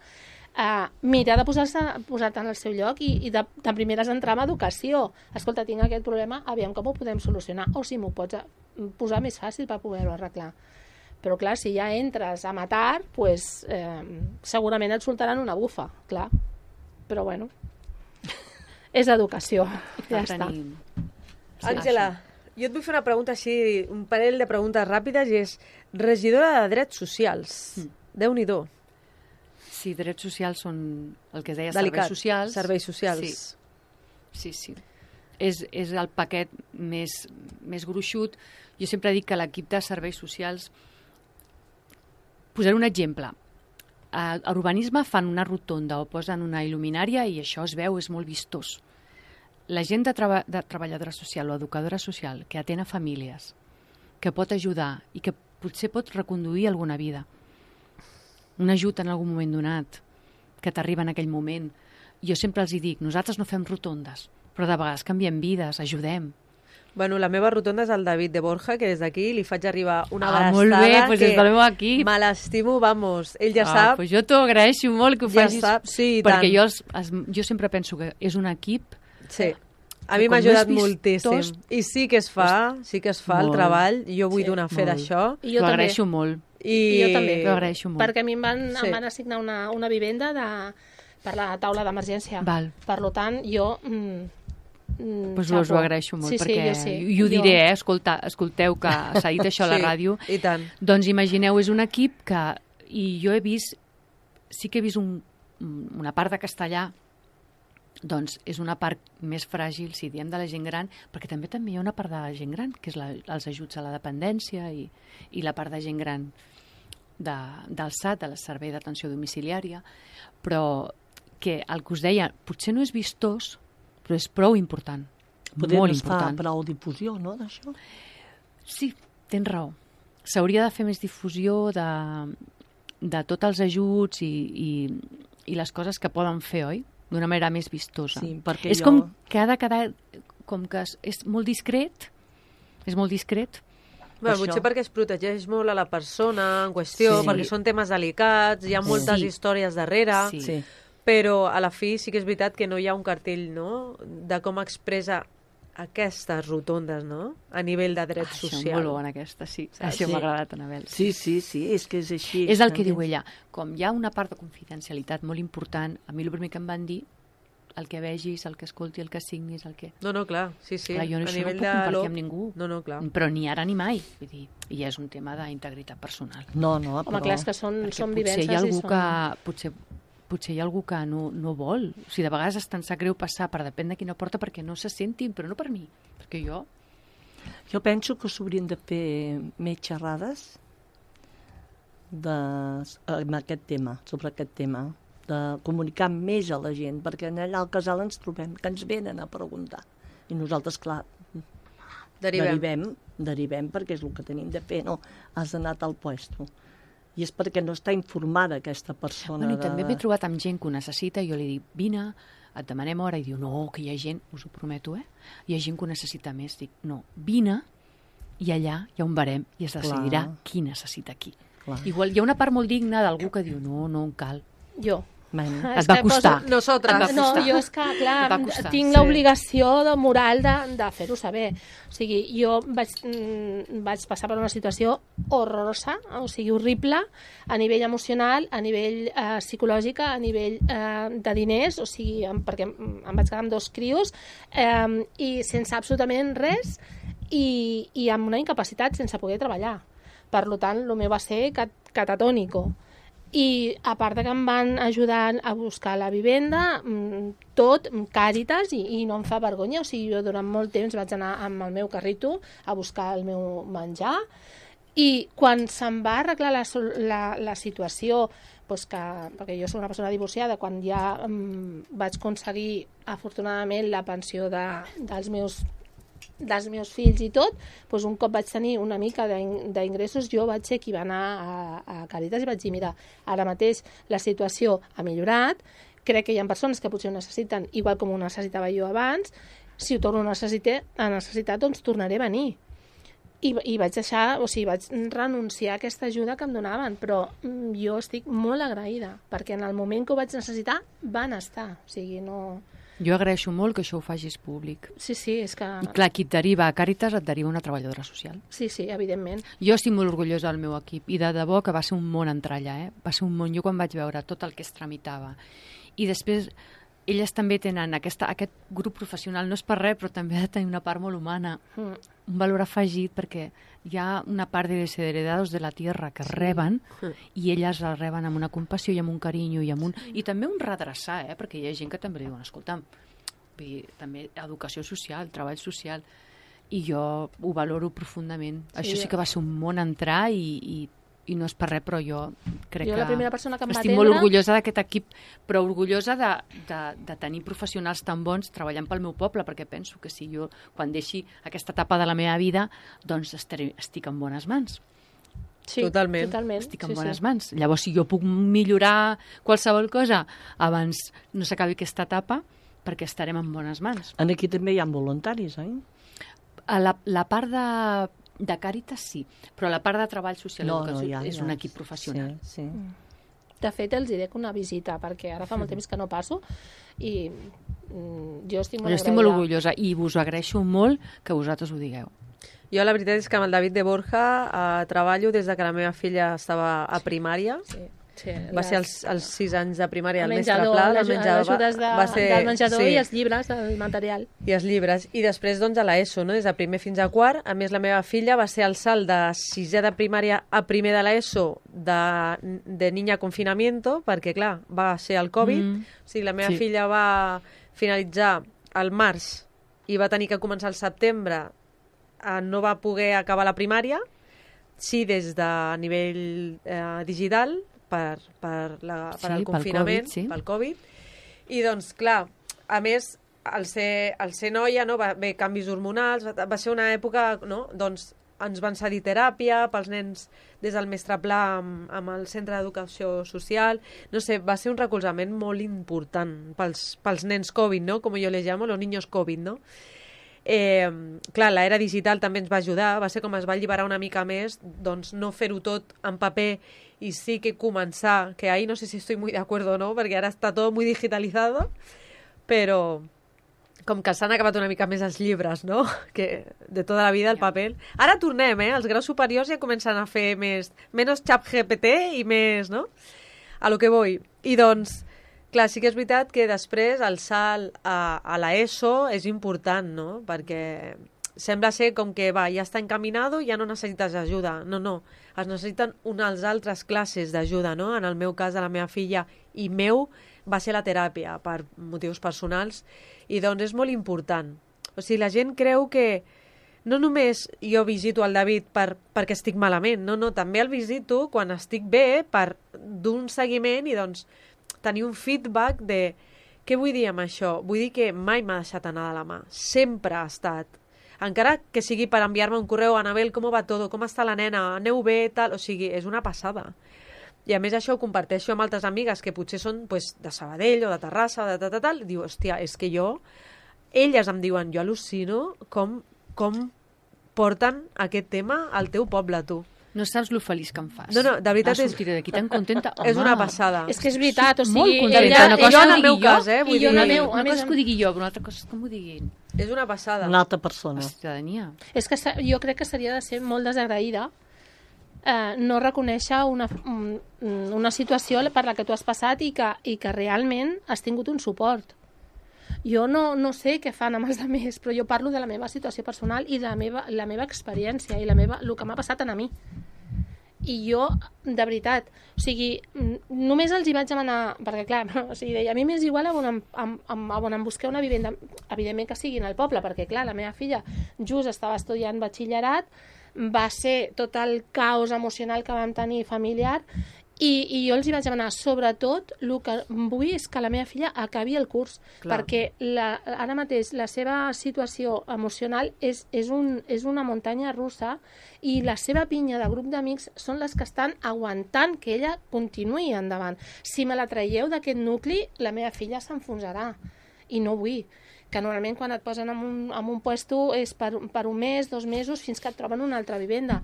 eh, mira de posar-se posar-te en el seu lloc i, i de, de primeres entrar en educació. Escolta, tinc aquest problema, aviam com ho podem solucionar, o si m'ho pots posar més fàcil per poder-ho arreglar. Però clar, si ja entres a matar, pues, eh, segurament et soltaran una bufa, clar. Però bueno, és educació, ja està. Sí, Àngela, jo et vull fer una pregunta així, un parell de preguntes ràpides, i és regidora de Drets Socials. Mm. Déu-n'hi-do. Sí, drets socials són el que es deia Delicat. serveis socials. Serveis socials. Sí, sí. sí. És, és el paquet més, més gruixut. Jo sempre dic que l'equip de serveis socials... Posaré un exemple. A urbanisme fan una rotonda o posen una il·luminària i això es veu, és molt vistós. La gent de, treba de treballadora social o educadora social que atén a famílies, que pot ajudar i que potser pot reconduir alguna vida, un ajut en algun moment donat, que t'arriba en aquell moment. Jo sempre els hi dic, nosaltres no fem rotondes, però de vegades canviem vides, ajudem. Bueno, la meva rotonda és el David de Borja, que des d'aquí li faig arribar una Ah, abraçada molt bé, pues que des del meu equip. me l'estimo, vamos. Ell ja ah, sap. Pues jo t'ho agraeixo molt que ho Ja facis, sap, sí, i perquè tant. jo, els, els, jo sempre penso que és un equip. Sí. A mi com m'ha ajudat més moltíssim. vistós- I sí que es fa, sí que es fa el Molt. treball. Jo vull Sí, donar fe molt. d'això. I T'ho jo també. agraeixo molt. I... I jo també. T'ho agraeixo molt. Perquè a mi em van, Sí. em van assignar una, una vivenda de, per la taula d'emergència. Val. Per tant, jo... Mm, mm, Pues us ho xapo. agraeixo molt, sí, sí, perquè jo sí. i ho diré, eh? Escolta, escolteu que s'ha dit això a la Sí, ràdio. i tant. Doncs imagineu, és un equip que... I jo he vist... Sí que he vist un, una part de castellà, doncs és una part més fràgil, si diem de la gent gran, perquè també també hi ha una part de la gent gran, que és la, els ajuts a la dependència i, i la part de gent gran de, del S A T, del Servei d'Atenció Domiciliària, però que el que us deia, potser no és vistós, però és prou important. Poder molt no es fa important. prou difusió, no, d'això? Sí, tens raó. S'hauria de fer més difusió de, de tots els ajuts i, i, i les coses que poden fer, oi? D'una manera més vistosa. Sí, perquè és jo- com que ha de quedar... Com que és, és molt discret, és molt discret. Bé, això. potser perquè es protegeix molt a la persona en qüestió, Sí. perquè són temes delicats, hi ha moltes Sí. històries darrere, Sí. Sí. però a la fi sí que és veritat que no hi ha un cartell, no?, de com expressa aquestes rotondes, no?, a nivell de dret Això, social. molt bona aquesta, sí. Saps? Això Sí. m'ha agradat, Anabel. Sí, sí, sí, és que és així. És el que també. diu ella. Com hi ha una part de confidencialitat molt important, a mi el primer que em van dir, el que vegis, el que escolti, el que signis, el que... No, no, clar, sí, sí. Clar, jo A això no nivell puc de compartir lo- amb ningú. No, no, clar. Però ni ara ni mai. Vull dir, i és un tema d'integritat personal. No, no, Home, però... clar, és que són, Perquè són potser vivències hi ha algú i són... que... Potser, potser hi ha algú que no, no vol. O sigui, de vegades és tan sap greu passar per depèn de quina porta perquè no se sentin, però no per mi. Perquè jo... Jo penso que s'haurien de fer més xerrades de, amb aquest tema, sobre aquest tema, de comunicar més a la gent, perquè allà al casal ens trobem, que ens venen a preguntar. I nosaltres, clar, Derivem. derivem, derivem perquè és el que tenim de fer, no? Has anat al puesto. I és perquè no està informada aquesta persona. Bueno, I de... també m'he trobat amb gent que ho necessita i jo li dic, vine, et demanem hora, i diu, no, que hi ha gent, us ho prometo, eh? Hi ha gent que ho necessita més. Dic, no, vine, i allà hi ha un barem i es decidirà Clar. qui necessita qui. Clar. Igual hi ha una part molt digna d'algú que diu, no, no em cal. Jo. Men. Ah, Et és va que costar. poso- Nosaltres. Et va No, costar. jo és que, clar, Et va costar, tinc sí. l'obligació de moral de, de fer-ho saber. O sigui, jo vaig, mm, vaig passar per una situació horrorosa, o sigui, horrible, a nivell emocional, a nivell eh, psicològic, a nivell eh, de diners, o sigui, em, perquè em em vaig quedar amb dos crios, eh, i sense absolutament res, i, i amb una incapacitat sense poder treballar. Per tant, el meu va ser cat catatònico. I a part de que em van ajudar a buscar la vivenda, mm, tot, Càritas, i, i no em fa vergonya. O sigui, jo durant molt temps vaig anar amb el meu carrito a buscar el meu menjar, i quan se'm va arreglar la, sol- la, la situació, doncs que, perquè jo soc una persona divorciada, quan ja mm, vaig aconseguir afortunadament la pensió de, dels meus dels meus fills i tot, doncs un cop vaig tenir una mica d'ing- d'ingressos, jo vaig ser qui va anar a, a Càritas i vaig dir, mira, ara mateix la situació ha millorat, crec que hi ha persones que potser ho necessiten igual com ho necessitava jo abans, si ho torno a necessitar, a necessitar doncs tornaré a venir. I, i vaig deixar, o sigui, vaig renunciar a aquesta ajuda que em donaven, però mm, jo estic molt agraïda, perquè en el moment que ho vaig necessitar van estar, o sigui, no... Jo agraeixo molt que això ho facis públic. Sí, sí, és que... I clar, qui et deriva a Càritas et deriva una treballadora social. Sí, sí, evidentment. Jo estic molt orgullosa del meu equip i de debò que va ser un món entrar allà, eh? Va ser un món. Jo quan vaig veure tot el que es tramitava. I després elles també tenen aquesta, aquest grup professional, no és per res, però també ha de tenir una part molt humana, Mm. un valor afegit, perquè hi ha una part de desheredados de la tierra que reben i elles la reben amb una compassió i amb un carinyo i amb un... I també un redreçar, eh? Perquè hi ha gent que també li diuen, escolta'm, vull dir, també educació social, treball social, i jo ho valoro profundament. Sí, Això sí jo- que va ser un món entrar i, i, i no és per res, però jo crec Jo que... la primera persona que em va estic molt atendre- orgullosa d'aquest equip, però orgullosa de, de, de tenir professionals tan bons treballant pel meu poble, perquè penso que si jo, quan deixi aquesta etapa de la meva vida, doncs estaré, estic en bones mans. Sí, Totalment. totalment. Estic en sí, bones sí. mans. Llavors, si jo puc millorar qualsevol cosa abans no s'acabi aquesta etapa, perquè estarem en bones mans. En aquí també hi ha voluntaris, oi? A la, la part de, de Càritas sí, però la part de treball social i educació hi ha, és hi ha. un equip professional. Sí, sí. De fet, els diré que una visita, perquè ara fa molt temps que no passo, i mm, jo estic molt Jo estic molt agraïda. orgullosa i us agraeixo molt que vosaltres ho digueu. Jo la veritat és que amb el David de Borja eh, treballo des de que la meva filla estava a primària. Sí, sí, Va les- ser els, els sis anys de primària, el el, mestre menjador, Pla, les, el menjador, les ajudes de, va ser, del menjador sí, i els llibres, el material. i els llibres. I després, doncs, a l'ESO, no? Des de primer fins a quart. A més, la meva filla va ser el salt de sisè de primària a primer de l'ESO de, de niña confinamiento, perquè, clar, va ser el Covid. Mm. O sigui, la meva Sí. filla va finalitzar al març i va tenir que començar al setembre. Eh, no va poder acabar la primària, sí des de nivell eh, digital, per, per, la, per Sí, el pel confinament, Covid, sí. pel Covid. I doncs, clar, a més, al ser, al ser noia, no, va haver canvis hormonals, va, va ser una època, no, doncs ens van cedir teràpia pels nens des del mestre Pla amb, amb el centre d'educació social. No sé, va ser un recolzament molt important pels, pels nens Covid, no? Com jo les llamo, los niños Covid, no? Eh, clar, l'era digital també ens va ajudar, va ser com es va alliberar una mica més, doncs no fer-ho tot en paper y sí que començar, que ahí no sé si estoy muy de acuerdo o no, perquè ara està tot muy digitalizado, però com que s'han acabat una mica més els llibres, no? Que de tota la vida el paper. Ara tornem, eh? Els graus superiors ja comencen a fer més, menys xap G P T i més, no? A lo que voy. I doncs, Clar, sí que és veritat que després el salt a, a l'ESO és important, no? Perquè sembla ser com que va, ja està encaminado, ja no necessites ajuda. No, no, es necessiten unes altres classes d'ajuda, no? En el meu cas, de la meva filla i meu, va ser la teràpia per motius personals i doncs és molt important. O sigui, la gent creu que no només jo visito el David per, perquè estic malament, no, no, també el visito quan estic bé per d'un seguiment i doncs tenir un feedback de què vull dir amb això. Vull dir que mai m'ha deixat anar de la mà. Sempre ha estat. Encara que sigui per enviar-me un correu, Anabel, com va tot? Com està la nena? Aneu bé? Tal? O sigui, és una passada. I a més això ho comparteixo amb altres amigues que potser són pues, de Sabadell o de Terrassa o de tal, tal, tal. Diu, hòstia, és que jo... Elles em diuen, jo al·lucino com, com porten aquest tema al teu poble, tu. No saps lo feliç que em fas. No, no, de veritat és... és... sortiré d'aquí tan contenta. Home, és una passada. És que és veritat, o sigui... Molt contenta. ella, Una cosa jo en que el meu digui cas, eh? I Vull jo en dir, el meu, Una a més cosa a- que ho digui jo, però una altra cosa és que m'ho diguin. és una passada. Una altra persona. La ciutadania. És que se- jo crec que seria de ser molt desagraïda eh, no reconèixer una, un- una situació per la que tu has passat i que, i que realment has tingut un suport. Jo no, no sé què fan amb els altres, però jo parlo de la meva situació personal i de la meva, la meva experiència i la meva, el que m'ha passat a mi. I jo, de veritat, o sigui, n- només els hi vaig demanar, perquè clar, o sigui, deia, a mi m'és igual a on em, em, em, a on em busqueu una vivenda, evidentment que sigui en el poble, perquè clar, la meva filla just estava estudiant batxillerat, va ser tot el caos emocional que vam tenir familiar, i, i jo els hi vaig demanar, sobretot, el que vull és que la meva filla acabi el curs, Clar. perquè la, ara mateix la seva situació emocional és, és, un, és una muntanya russa i la seva pinya de grup d'amics són les que estan aguantant que ella continuï endavant. Si me la traieu d'aquest nucli, la meva filla s'enfonsarà i no vull. Que normalment quan et posen en un, en un puesto és per, per un mes, dos mesos, fins que et troben una altra vivenda.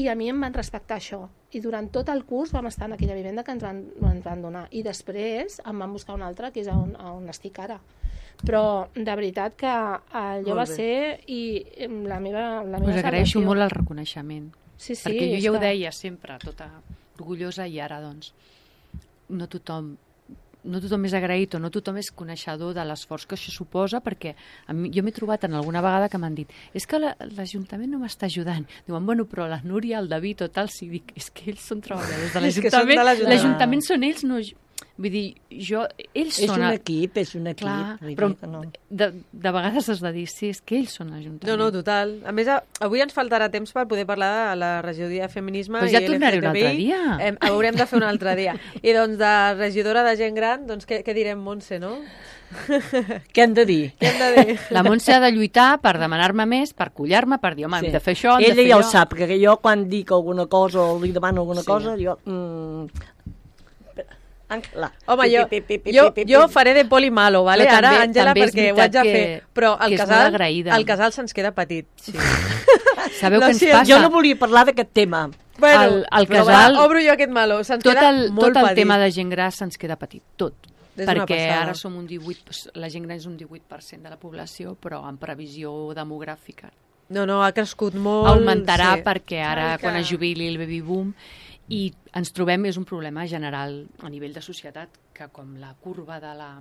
I a mi em van respectar això. I durant tot el curs vam estar en aquella vivenda que ens van, ens van donar. I després em van buscar una altra, que és on, on estic ara. Però de veritat que allò Molt va bé. ser i la meva, la meva Us agraeixo salvació. molt el reconeixement. Sí, sí, perquè jo és ja ho que- deia sempre, tota orgullosa, i ara, doncs, no tothom no tothom és agraït o no tothom és coneixedor de l'esforç que això suposa, perquè a mi, jo m'he trobat en alguna vegada que m'han dit és que la- l'Ajuntament no m'està ajudant. Diuen, bueno, però la Núria, el David o tal, sí, dic, és que ells són treballadors de És que són de l'Ajuntament. l'Ajuntament. L'Ajuntament són ells, no jo. Vull dir, jo, ells És són... un el- equip, és un equip. Clar, vull dir però que no. de, de vegades has de dir, sí, és que ells són l'Ajuntament. No, no, total. A més, a, avui ens faltarà temps per poder parlar de la regidoria de feminisme Pues i ja tornaré un L G T B I. altre dia. Em, haurem de fer un altre dia. I doncs de regidora de gent gran, doncs què, què direm, Montse, no? Què hem de dir? Què hem de dir? La Montse ha de lluitar per demanar-me més, per collar-me, per dir, home, hem de fer això, hem Ella de fer ja ho allò. sap, que jo quan dic alguna cosa o li demano alguna Sí. cosa, jo... Mm, Àngela. Home, jo, Pi, pi, pi, pi, jo, pi, pi, jo pi. faré de poli malo, vale? Però Ara, també- Àngela, també és perquè ho haig veritat de que- fer. Però el que és molt casal, agraïda. el casal se'ns queda petit. Sí. Sabeu Lo què ens siento. passa? Jo no volia parlar d'aquest tema. Bueno, El- el però casal- va, obro jo aquest malo. Se'ns Tot queda el, molt tot el petit. tema de gent gran se'ns queda petit, tot. És una Perquè passada. ara som un divuit, doncs, la gent gran és un divuit per cent de la població, però en previsió demogràfica No, no, ha crescut molt. augmentarà sí. perquè ara, Ai, que- quan es jubili el baby boom, i ens trobem, és un problema general a nivell de societat, que com la curva de la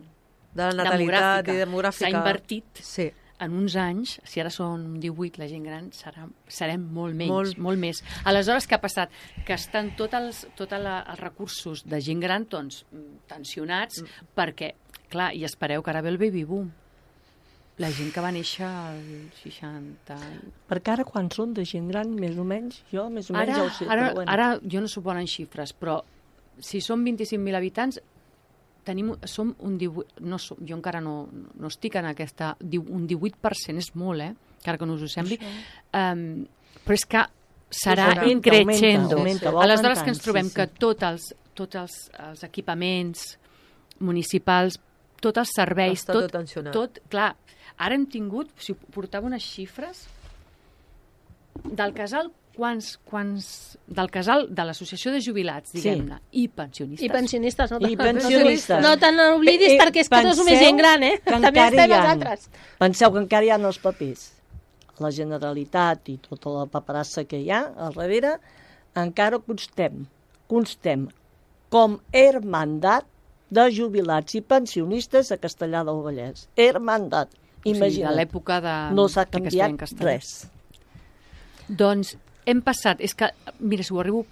De la natalitat i s'ha demogràfica. invertit, Sí. en uns anys, si ara són divuit, la gent gran serà, serem molt menys, Molt. molt, molt més. Aleshores, què ha passat? Que estan tots els, tot la, els recursos de gent gran doncs, tensionats, mm. perquè, clar, i espereu que ara ve el baby boom. La gent que va néixer al seixanta... Perquè ara quan són de gent gran, més o menys, jo més o menys Ara, ja ho sé. ara, però bueno. ara jo no suposo en xifres, però si són vint-i-cinc mil habitants, tenim, som un divuit, no som, jo encara no, no estic en aquesta, un divuit per cent és molt, eh? Encara que no us ho sembli. Um, però és que serà Augmenta, increixendo. augmenta, va Aleshores augmentant, que ens trobem sí, sí. que tots els, tots els, els equipaments municipals, tots els serveis, Està tot tensionat. tot, clar, ara hem tingut, si portava unes xifres, del casal, quants, quants, del casal de l'associació de jubilats, Sí. diguem-ne, i pensionistes. I pensionistes, no? I pensionistes. No te n'oblidis, Eh, eh, perquè és que no és només penseu gent gran, eh? que També encara estem hi ha- nosaltres. Penseu que encara hi ha els papers. La Generalitat i tota la paperassa que hi ha al darrere, encara constem, constem com hermandat de jubilats i pensionistes a Castellar del Vallès. Hermandat. Imagina't. O sigui, de l'època de... No s'ha de que es feia en canviat castellà. res. Doncs hem passat, és que, mira, si ho arribo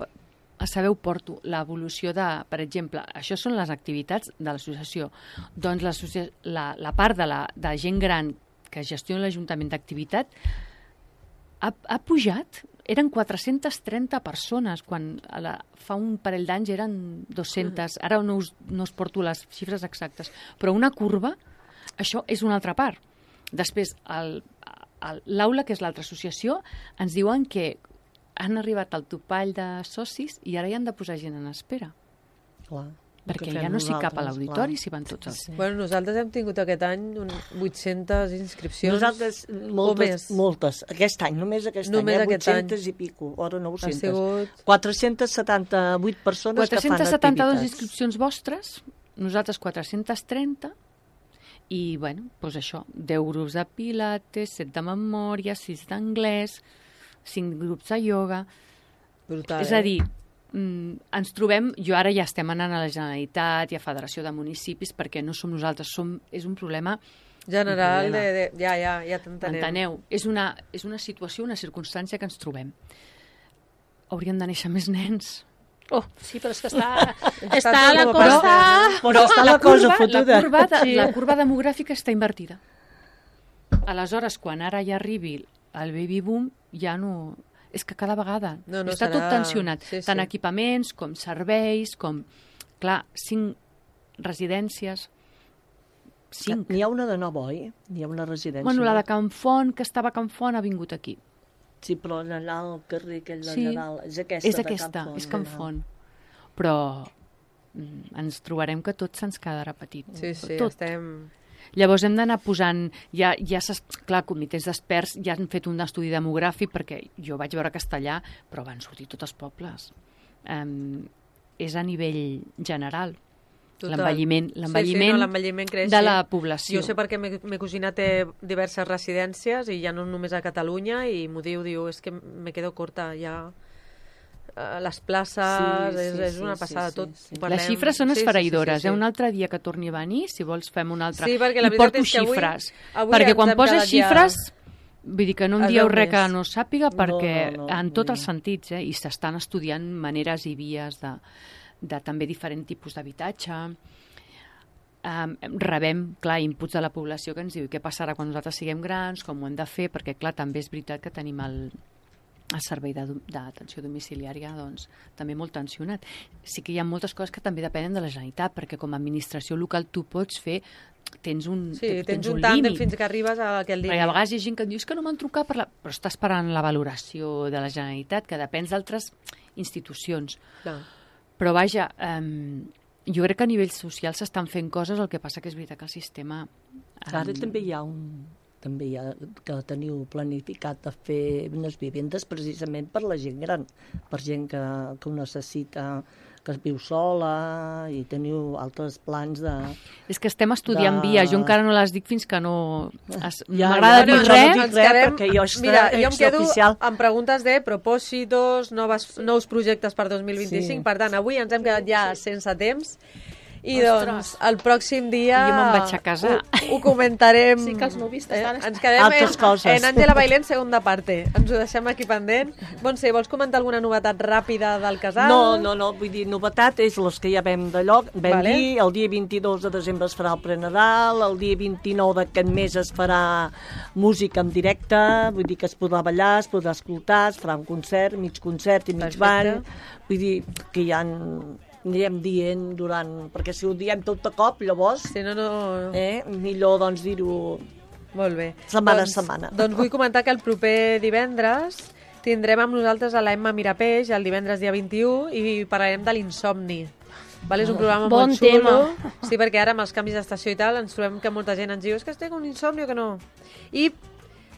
a saber, ho porto, l'evolució de, per exemple, això són les activitats de l'associació. Doncs la, la part de, la, de gent gran que gestiona l'Ajuntament d'activitat ha, ha pujat. Eren quatre-centes trenta persones, quan a la, fa un parell d'anys eren dues-centes. Ara no us, no us porto les xifres exactes, però una curva, això és una altra part. Després, l'aula, que és l'altra associació, ens diuen que han arribat al topall de socis i ara hi han de posar gent en espera. Clar. Perquè ja no s'hi cap a l'auditori, s'hi van tots els... Sí. Bueno, nosaltres hem tingut aquest any un vuit-centes inscripcions. Nosaltres, moltes, moltes. Aquest any, només aquest només any, eh? aquest vuit-centes any. I pico, ora nou-centes. Ha sigut... quatre-centes setanta-vuit persones que fan quatre-centes setanta-dues activitats. inscripcions vostres, nosaltres quatre-centes trenta, i, bueno, doncs això, deu grups de pilates, set de memòria, sis d'anglès, cinc grups de ioga... Brutal, és a dir, mm, ens trobem, jo ara ja estem anant a la Generalitat i a Federació de Municipis perquè no som nosaltres, som, és un problema general, un problema. de, de, ja, ja, ja t'entenem. M'enteneu? És una, és una situació, una circumstància que ens trobem. Haurien de néixer més nens. Oh, sí, però és que està, Està està tot la molt cosa... passat. Però està la, cosa fotuda. La curva, de, Sí. la curva demogràfica està invertida. Aleshores, quan ara ja arribi el baby boom, ja no... És que cada vegada No, no està serà- tot tensionat. sí, sí. Tant equipaments com serveis, com... Clar, cinc residències... Cinc. N'hi ha una de nou, oi? N'hi ha una residència. Bueno, la de Can Font, que estava a Can Font, ha vingut aquí. Sí, però allà al carrer aquell Sí, d'allà dalt. És aquesta, és de aquesta, Can Font, és Can allà. Font. Però mm, ens trobarem que tot se'ns quedarà petit. Sí, sí, tot. estem... Llavors hem d'anar posant, ja, ja s'es- clar, comitès d'experts ja han fet un estudi demogràfic perquè jo vaig veure Castellà, però van sortir tots els pobles. Um, és a nivell general. Total. L'envelliment Sí, l'envelliment sí, no, l'envelliment creix, de sí. la població. Jo sé perquè me, me cosina té diverses residències i ja no només a Catalunya i m'ho diu, diu, és que me quedo corta ja eh, les places, Sí, és, sí, és una sí, passada sí, tot. sí. Parlem- Les xifres són sí, sí, sí, esfereïdores. sí, sí, Eh? Un altre dia que torni a venir, si vols fem un altre. Sí, perquè la I veritat porto és que avui- xifres. avui perquè ens quan hem poses quedat ja- xifres, vull dir que no em Es dieu veu res que més. no sàpiga, perquè no, no, en vull tots dir. els sentits, eh? I s'estan estudiant maneres i vies de, de també diferents tipus d'habitatge. Um, rebem, clar, inputs de la població que ens diu què passarà quan nosaltres siguem grans, com ho hem de fer, perquè, clar, també és veritat que tenim el, el servei de- d'atenció domiciliària doncs, també molt tensionat. Sí que hi ha moltes coses que també depenen de la Generalitat, perquè com a administració local tu pots fer, tens un, Sí, tens, tens un un tàndem límit. fins que arribes a aquell Perquè límit. a vegades hi ha gent que et diu "És que no m'han trucat, per la... però està esperant la valoració de la Generalitat, que depèn d'altres institucions. Clar. Però vaja, um, jo crec que a nivell social s'estan fent coses, el que passa que és veritat que el sistema... Ara em, també hi ha un... també hi ha que teniu planificat de fer unes vivendes precisament per la gent gran, per gent que, que ho necessita, que es viu sola, i teniu altres plans de... És que estem estudiant de- vies, jo encara no les dic fins que no... Es... Ja, M'agrada ja, dir no, res, no dic Ens res, quedem- perquè jo està Mira, jo em quedo extraoficial. amb preguntes de propòsitos, noves, nous projectes per dos mil vint-i-cinc. Sí. Per tant, avui ens hem quedat ja sense temps. I Ostres. doncs, el pròxim dia... Jo me'n vaig a casar. Ho, ho comentarem... Sí que els nuvis t'estan Eh, ens quedem Altres en, coses. en Àngela Bailén, segunda parte. Ens ho deixem aquí pendent. Montse, vols comentar alguna novetat ràpida del casal? No, no, no, vull dir, novetat és les que ja vam de lloc. Vam Vale. dir, el dia vint-i-dos de desembre es farà el prenadal, el dia vint-i-nou d'aquest mes es farà música en directe, vull dir que es podrà ballar, es podrà escoltar, es farà un concert, mig concert i mig Perfecte. ball. Vull dir que ja en- anirem dient durant... Perquè si ho diem tot de cop, llavors, Si no, no... eh, millor doncs dir-ho... Molt bé. Setmana a doncs, setmana. Doncs vull comentar que el proper divendres tindrem amb nosaltres a l'Emma Mirapeix, el divendres dia vint-i-u, i parlarem de l'insomni. Vale, és un programa Bon molt xulo. tema. Sí, perquè ara amb els canvis d'estació i tal ens trobem que molta gent ens diu és que estic amb un insomni o que no. I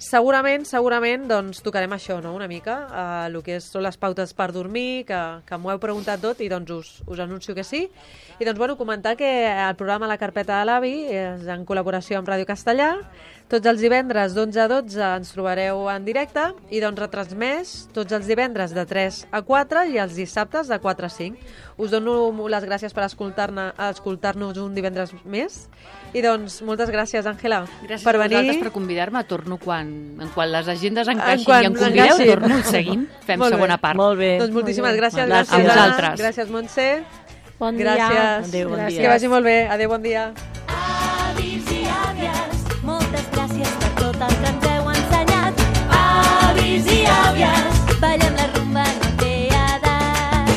segurament, segurament, doncs, tocarem això, no?, una mica, eh, el que són les pautes per dormir, que, que m'ho heu preguntat tot i doncs us, us anuncio que sí. I doncs, bueno, comentar que el programa La Carpeta de l'Avi és en col·laboració amb Ràdio Castellà. Tots els divendres d'onze a dotze ens trobareu en directe i doncs retransmès tots els divendres de tres a quatre i els dissabtes de quatre a cinc. Us dono les gràcies per escoltar-ne, escoltar-nos un divendres més. I doncs, moltes gràcies, Àngela, Gràcies per a venir. vosaltres per convidar-me. Torno quan, en quan les agendes encaixin quan i em convideu, encaixin. torno i seguim. Fem Molt bé. segona part. Molt bé. Doncs moltíssimes gràcies. Gràcies Gràcies, a vosaltres. Gràcies, Montse. Bon Gràcies. dia. Adéu, bon dia. Que vagi molt bé. Adéu, bon dia. Avis i àvies, moltes gràcies per tot el que ens heu ensenyat. Avis i àvies, ballem la rumba, no té edat.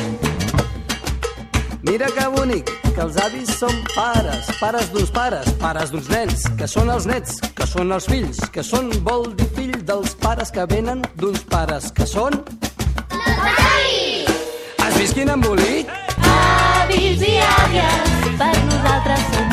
Mira que bonic, que els avis són pares, pares d'uns pares, pares d'uns nens, que són els nets, que són els fills, que són, vol dir, fill dels pares que venen d'uns pares, que són... Has vist quin embolic? Avis i àvies, per nosaltres són